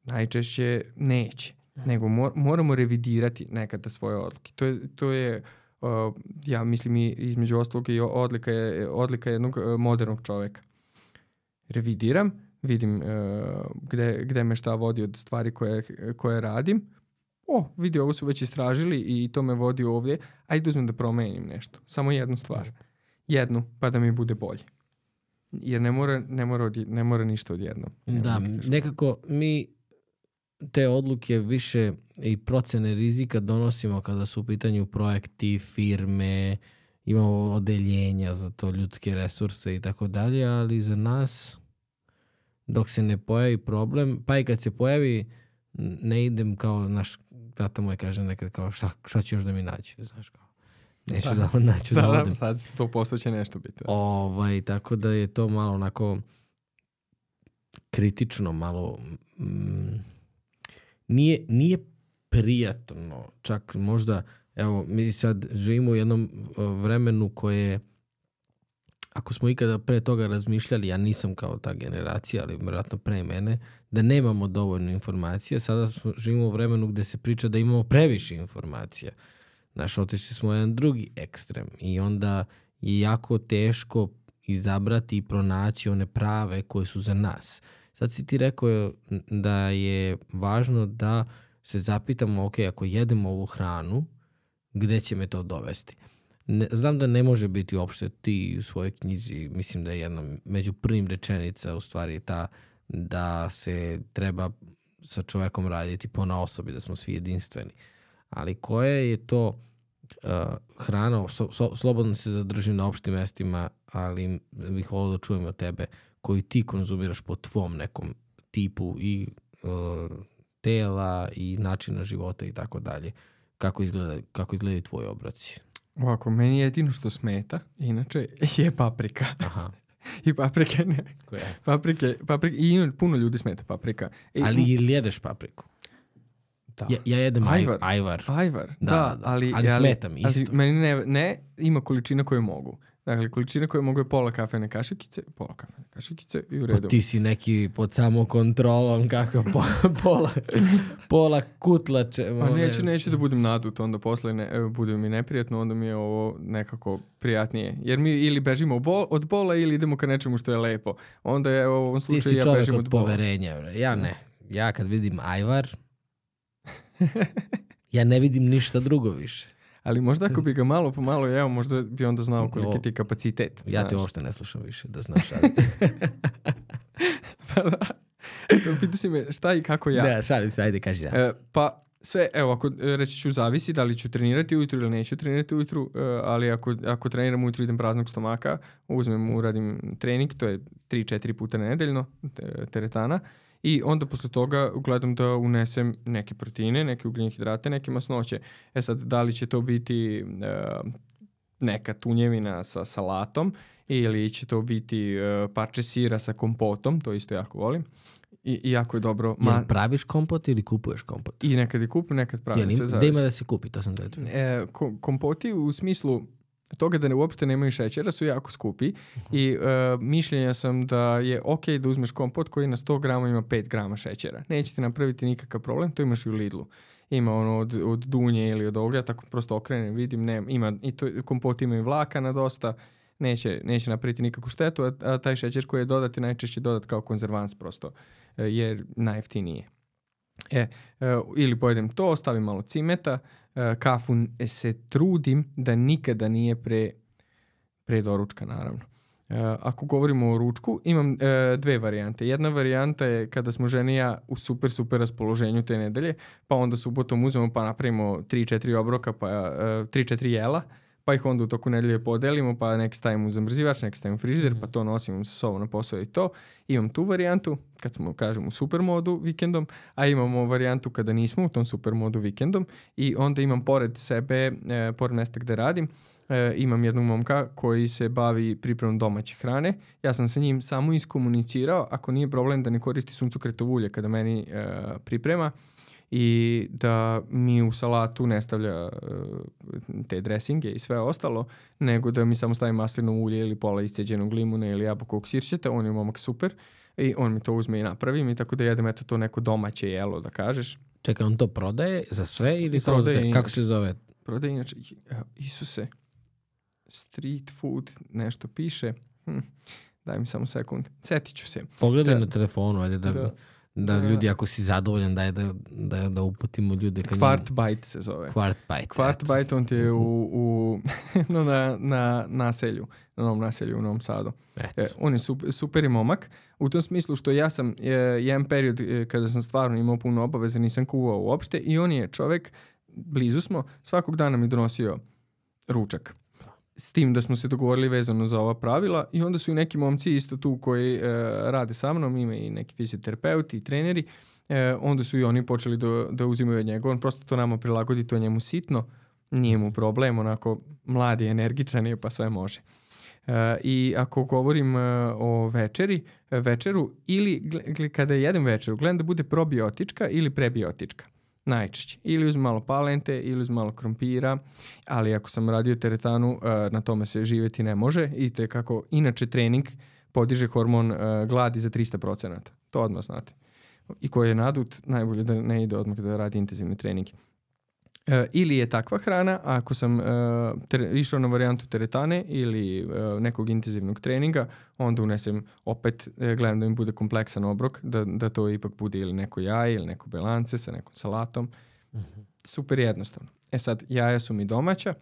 najčešće neće. Nego mor, moramo revidirati nekada svoje odluke. To je, to je uh, ja mislim i između ostalog i odlika, je, odlika jednog uh, modernog čoveka. Revidiram, vidim uh, gde, gde me šta vodi od stvari koje, koje radim. O, vidi, ovo su već istražili i to me vodi ovdje. Ajde uzmem da promenim nešto. Samo jednu stvar. Jednu, pa da mi bude bolje. Jer ne mora, ne mora, odje, ne mora ništa odjednom. Da, nekako mi te odluke više i procene rizika donosimo kada su u pitanju projekti, firme, imamo odeljenja za to, ljudske resurse i tako dalje, ali za nas dok se ne pojavi problem, pa i kad se pojavi ne idem kao naš tata moj kaže nekad kao šta, šta će još da mi naći, znaš kao. Neću da, da, naću da, da odem. Da, sad sto posto će nešto biti. Da. Ovaj, tako da je to malo onako kritično, malo mm, nije, nije prijatno, čak možda, evo, mi sad živimo u jednom vremenu koje, ako smo ikada pre toga razmišljali, ja nisam kao ta generacija, ali vjerojatno pre mene, da nemamo dovoljno informacija, sada smo, živimo u vremenu gde se priča da imamo previše informacija. Znaš, otišli smo u jedan drugi ekstrem i onda je jako teško izabrati i pronaći one prave koje su za nas. Sad si ti rekao da je važno da se zapitamo, ok, ako jedemo ovu hranu, gde će me to dovesti? Ne, znam da ne može biti uopšte ti u svojoj knjizi, mislim da je jedna među prvim rečenica u stvari ta da se treba sa čovekom raditi po na osobi, da smo svi jedinstveni. Ali koja je to uh, hrana, so, so, slobodno se zadržim na opštim mestima, ali bih volio da čujem od tebe, koju ti konzumiraš po tvom nekom tipu i uh, tela i načina života i tako dalje. Kako izgleda, kako izgledaju tvoji obroci? Ovako, meni jedino što smeta, inače, je paprika. Aha. I paprike ne. Koja? Paprike, paprike, i puno ljudi smeta paprika. I, ali ili jedeš papriku? Da. Ja, ja jedem ajvar. Ajvar, ajvar. Da, da, da, ali, ali smeta mi isto. Ali meni ne, ne, ima količina koju mogu. Dakle, količina koju mogu je pola kafene kašikice, pola kafene kašikice i u redu. Pa ti si neki pod samo kontrolom, kako po, pola, pola kutlače. Pa neću, neću da budem nadut, onda posle ne, bude mi neprijatno, onda mi je ovo nekako prijatnije. Jer mi ili bežimo bol, od bola ili idemo ka nečemu što je lepo. Onda je u ovom slučaju ja bežim od bola. Ti si čovjek od poverenja. Ja ne. Ja kad vidim ajvar, ja ne vidim ništa drugo više. Ali možda ako bi ga malo po malo jeo, možda bi onda znao koliki ti kapacitet. Ja te uopšte ne slušam više, da znaš. Ali. Pa da. Eto, pita si me šta i kako ja. Da, šalim se, ajde, kaži da. E, pa sve, evo, ako reći ću zavisi da li ću trenirati ujutru ili neću trenirati ujutru, ali ako, ako treniram ujutru idem praznog stomaka, uzmem, uradim trening, to je tri četiri puta nedeljno, teretana, i onda posle toga gledam da unesem neke proteine, neke ugljene hidrate, neke masnoće. E sad, da li će to biti uh, neka tunjevina sa salatom ili će to biti uh, parče sira sa kompotom, to isto jako volim. I, i jako je dobro. Ma... Jel praviš kompot ili kupuješ kompot? I nekad je kupim, nekad pravim. Jel, se da ima da se kupi, to sam da e, ko, kompoti u smislu toga da ne, uopšte nemaju šećera su jako skupi uh-huh. i uh, mišljenja sam da je ok da uzmeš kompot koji na sto grama ima pet grama šećera. Neće ti napraviti nikakav problem, to imaš i u Lidlu. Ima ono od, od dunje ili od ovoga, tako prosto okrenem, vidim, ne, ima, i to, kompot ima i vlakana dosta, neće, neće napraviti nikakvu štetu, a, a taj šećer koji je dodati najčešće dodat kao konzervans prosto, jer najjeftinije. E, ili pojedem to, stavim malo cimeta, kafu se trudim da nikada nije pre, pre doručka, naravno. Ako govorimo o ručku, imam dve varijante. Jedna varijanta je kada smo žene i ja u super, super raspoloženju te nedelje, pa onda subotom uzmemo pa napravimo tri četiri obroka, pa tri četiri jela, pa ih onda u toku nedelje podelimo, pa neki stavimo u zamrzivač, neki stavimo u frižider, pa to nosimo sa sobom na posao i to. Imam tu varijantu, kad smo, kažem, u super modu vikendom, a imamo varijantu kada nismo u tom super modu vikendom i onda imam pored sebe, e, pored mesta gde radim, e, imam jednog momka koji se bavi pripremom domaće hrane. Ja sam sa njim samo iskomunicirao, ako nije problem da ne koristi suncokretovo ulje kada meni e, priprema, i da mi u salatu ne stavlja uh, te dresinge i sve ostalo, nego da mi samo stavi maslinovo ulje ili pola isceđenog limuna ili jabukovog sirćeta, on je momak super i on mi to uzme i napravi mi, tako da jedem eto to neko domaće jelo, da kažeš. Čekaj, on to prodaje za sve ili samo za te? Kako se zove? Prodaje inače, Isuse, street food, nešto piše. Hm, daj mi samo sekund, setit ću se. Pogledaj da, na telefonu, ajde da... da. Da ljudi, ako si zadovoljan, daj da, da, da uputimo ljude. Kvart bajt se zove. Kvart bajt. Kvart bajt, on ti je u, u, no, na, na naselju, na novom naselju u Novom Sadu. E, on je super, super i momak. U tom smislu što ja sam je, jedan period je, kada sam stvarno imao puno obaveze, nisam kuvao uopšte i on je čovek, blizu smo, svakog dana mi donosio ručak. S tim da smo se dogovorili vezano za ova pravila i onda su i neki momci isto tu koji e, rade sa mnom, ima i neki fizioterapeuti i treneri, e, onda su i oni počeli da, da uzimaju od njega. On prosto to nama prilagodi, to je njemu sitno, nije mu problem, onako mladi, energičan je pa sve može. E, I ako govorim e, o večeri, večeru ili gle, kada jedem večeru, gledam da bude probiotička ili prebiotička. Najčešće. Ili uz malo palente, ili uz malo krompira, ali ako sam radio teretanu, na tome se živjeti ne može i te kako inače trening podiže hormon gladi za tristo procenata. To odmah znate. I koji je nadut, najbolje da ne ide odmah da radi intenzivni trening. E, ili je takva hrana, a ako sam e, ter, išao na varijantu teretane ili e, nekog intenzivnog treninga, onda unesem opet, e, gledam da mi bude kompleksan obrok, da, da to ipak bude ili neko jaje ili neko belance sa nekom salatom. Mm-hmm. Super jednostavno. E sad, jaja su mi domaća,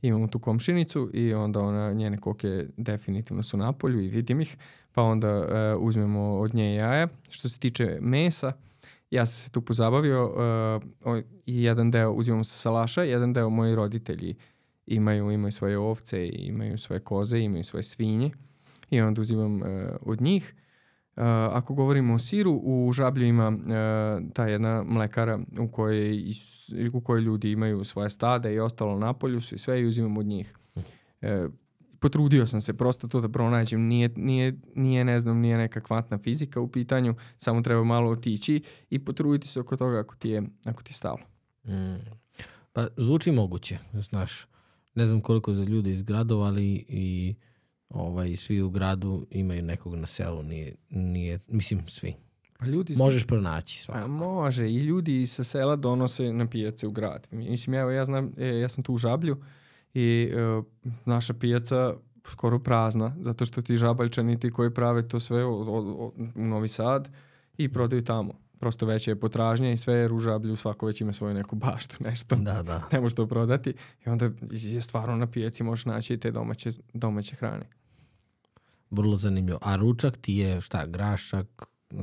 imamo tu komšinicu i onda ona, njene koke definitivno su na polju i vidim ih, pa onda e, uzmemo od nje jaja. Što se tiče mesa, ja sam se tu pozabavio uh, i jedan deo uzimamo sa salaša, jedan deo moji roditelji imaju, imaju svoje ovce, imaju svoje koze, imaju svoje svinje i onda uzimam uh, od njih. Uh, ako govorimo o siru, u Žablju ima uh, ta jedna mlekara u kojoj, u kojoj ljudi imaju svoje stade i ostalo na polju su i sve i uzimam od njih. Uh, Potrudio sam se prosto to da pronađem, nije, nije, nije, ne znam, nije neka kvantna fizika u pitanju, samo treba malo otići i potruditi se oko toga ako ti je, ako ti je stalo. Mm. Pa zvuči moguće, znaš, ne znam koliko za ljude iz gradova, ali i ovaj, svi u gradu imaju nekog na selu, nije, nije mislim svi. Pa ljudi možeš pronaći svakako. A može, i ljudi sa sela donose na pijace u grad. Mislim, evo, ja znam, ja sam tu u Žablju, i uh, naša pijaca skoro prazna, zato što ti Žabaljčani ti koji prave to sve od, od, od, u Novi Sad i prodaju tamo. Prosto veća je potražnja i sve jer u Žablju svako već ima svoju neku baštu, nešto. Da, da. Ne može to prodati i onda je stvarno na pijaci možeš naći te domaće, domaće hrane. Vrlo zanimljivo. A ručak ti je šta, grašak?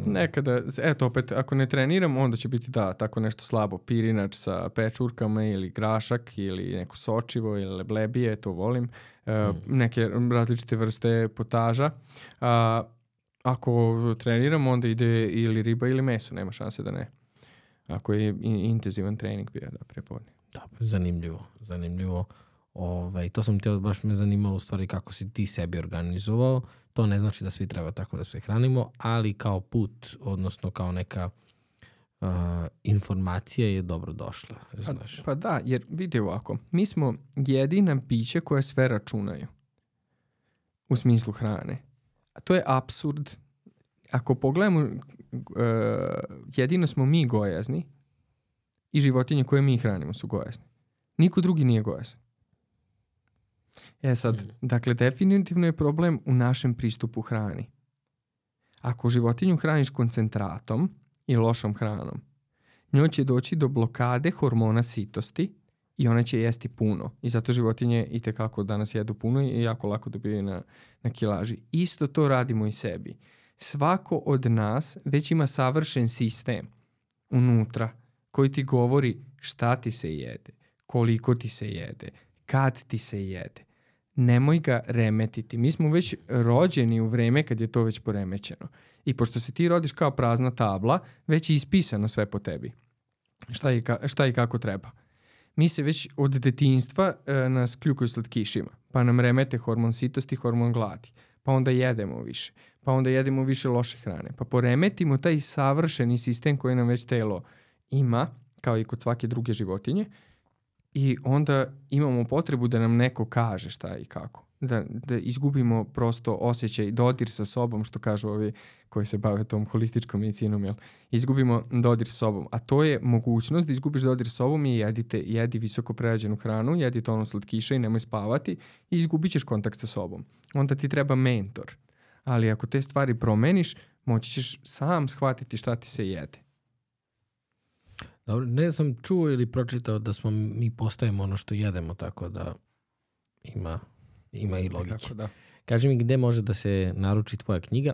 Nekada, eto opet, ako ne treniram, onda će biti da, tako nešto slabo, pirinač sa pečurkama ili grašak ili neko sočivo ili leblebije, to volim. E, mm. Neke različite vrste potaža. A, Ako treniramo, onda ide ili riba ili meso, nema šanse da ne. Ako je intenzivan trening bio da prepodne. Dobro, zanimljivo, zanimljivo. Ovaj, to sam htio, baš me zanimalo u stvari kako si ti sebi organizovao. To ne znači da svi treba tako da se hranimo, ali kao put, odnosno kao neka uh, informacija je dobro došla. Znaš. Pa, pa da, jer vidi ovako, mi smo jedina bića koja sve računaju u smislu hrane. A to je apsurd. Ako pogledamo, uh, jedino smo mi gojazni i životinje koje mi hranimo su gojazni. Niko drugi nije gojazan. E sad, mm. dakle, definitivno je problem u našem pristupu hrani. Ako životinju hraniš koncentratom i lošom hranom, njoj će doći do blokade hormona sitosti i ona će jesti puno. I zato životinje itekako danas jedu puno i jako lako dobijaju na, na kilaži. Isto to radimo i sebi. Svako od nas već ima savršen sistem unutra koji ti govori šta ti se jede, koliko ti se jede, kad ti se jede. Nemoj ga remetiti. Mi smo već rođeni u vreme kad je to već poremećeno. I pošto se ti rodiš kao prazna tabla, već je ispisano sve po tebi. Šta i, ka, šta i kako treba. Mi se već od detinjstva e, nas kljukaju slatkišima. Pa nam remete hormon sitosti, hormon gladi. Pa onda jedemo više. Pa onda jedemo više loše hrane. Pa poremetimo taj savršeni sistem koji nam već telo ima, kao i kod svake druge životinje. I onda imamo potrebu da nam neko kaže šta i kako. Da, da izgubimo prosto osjećaj, dodir sa sobom, što kažu ovi koji se bave tom holističkom medicinom, jel? Izgubimo dodir sa sobom. A to je mogućnost da izgubiš dodir sa sobom i jedite, jedi visoko prerađenu hranu, jedi tonu slatkiša i nemoj spavati i izgubit ćeš kontakt sa sobom. Onda ti treba mentor. Ali ako te stvari promeniš, moći ćeš sam shvatiti šta ti se jede. Dobro, ne sam čuo ili pročitao da smo mi postajemo ono što jedemo, tako da ima, ima i logike. Tako da. Kaži mi gde može da se naruči tvoja knjiga?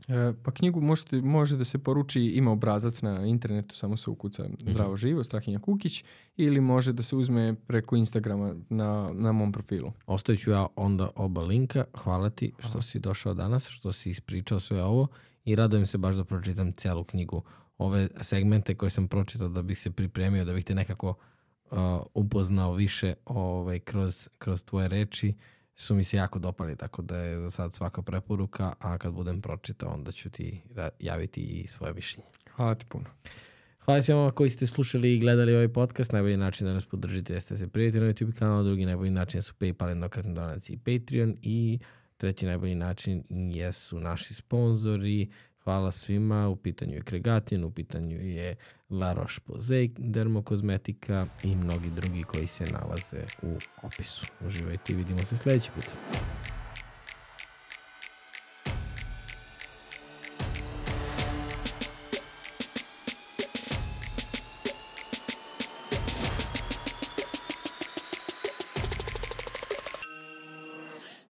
E, pa knjigu možete, može da se poruči, ima obrazac na internetu, samo se ukuca Zdravo živo, Strahinja Kukić, ili može da se uzme preko Instagrama na, na mom profilu. Ostavit ću ja onda oba linka. Hvala ti što Aha. si došao danas, što si ispričao sve ovo i radujem se baš da pročitam celu knjigu. Ove segmente koje sam pročitao da bih se pripremio, da bih te nekako uh, upoznao više ovaj, kroz, kroz tvoje reči, su mi se jako dopali, tako da je za sad svaka preporuka, a kad budem pročitao, onda ću ti javiti i svoje mišljenje. Hvala ti puno. Hvala svima koji ste slušali i gledali ovaj podcast. Najbolji način da nas podržite jeste da se prijavite na YouTube kanal, drugi najbolji način su PayPal, jednokratni donacije i Patreon i treći najbolji način jesu naši sponzori. Hvala svima, u pitanju je Kregatin, u pitanju je La Roche-Posay, Dermokozmetika i mnogi drugi koji se nalaze u opisu. Uživajte i vidimo se sljedeći put.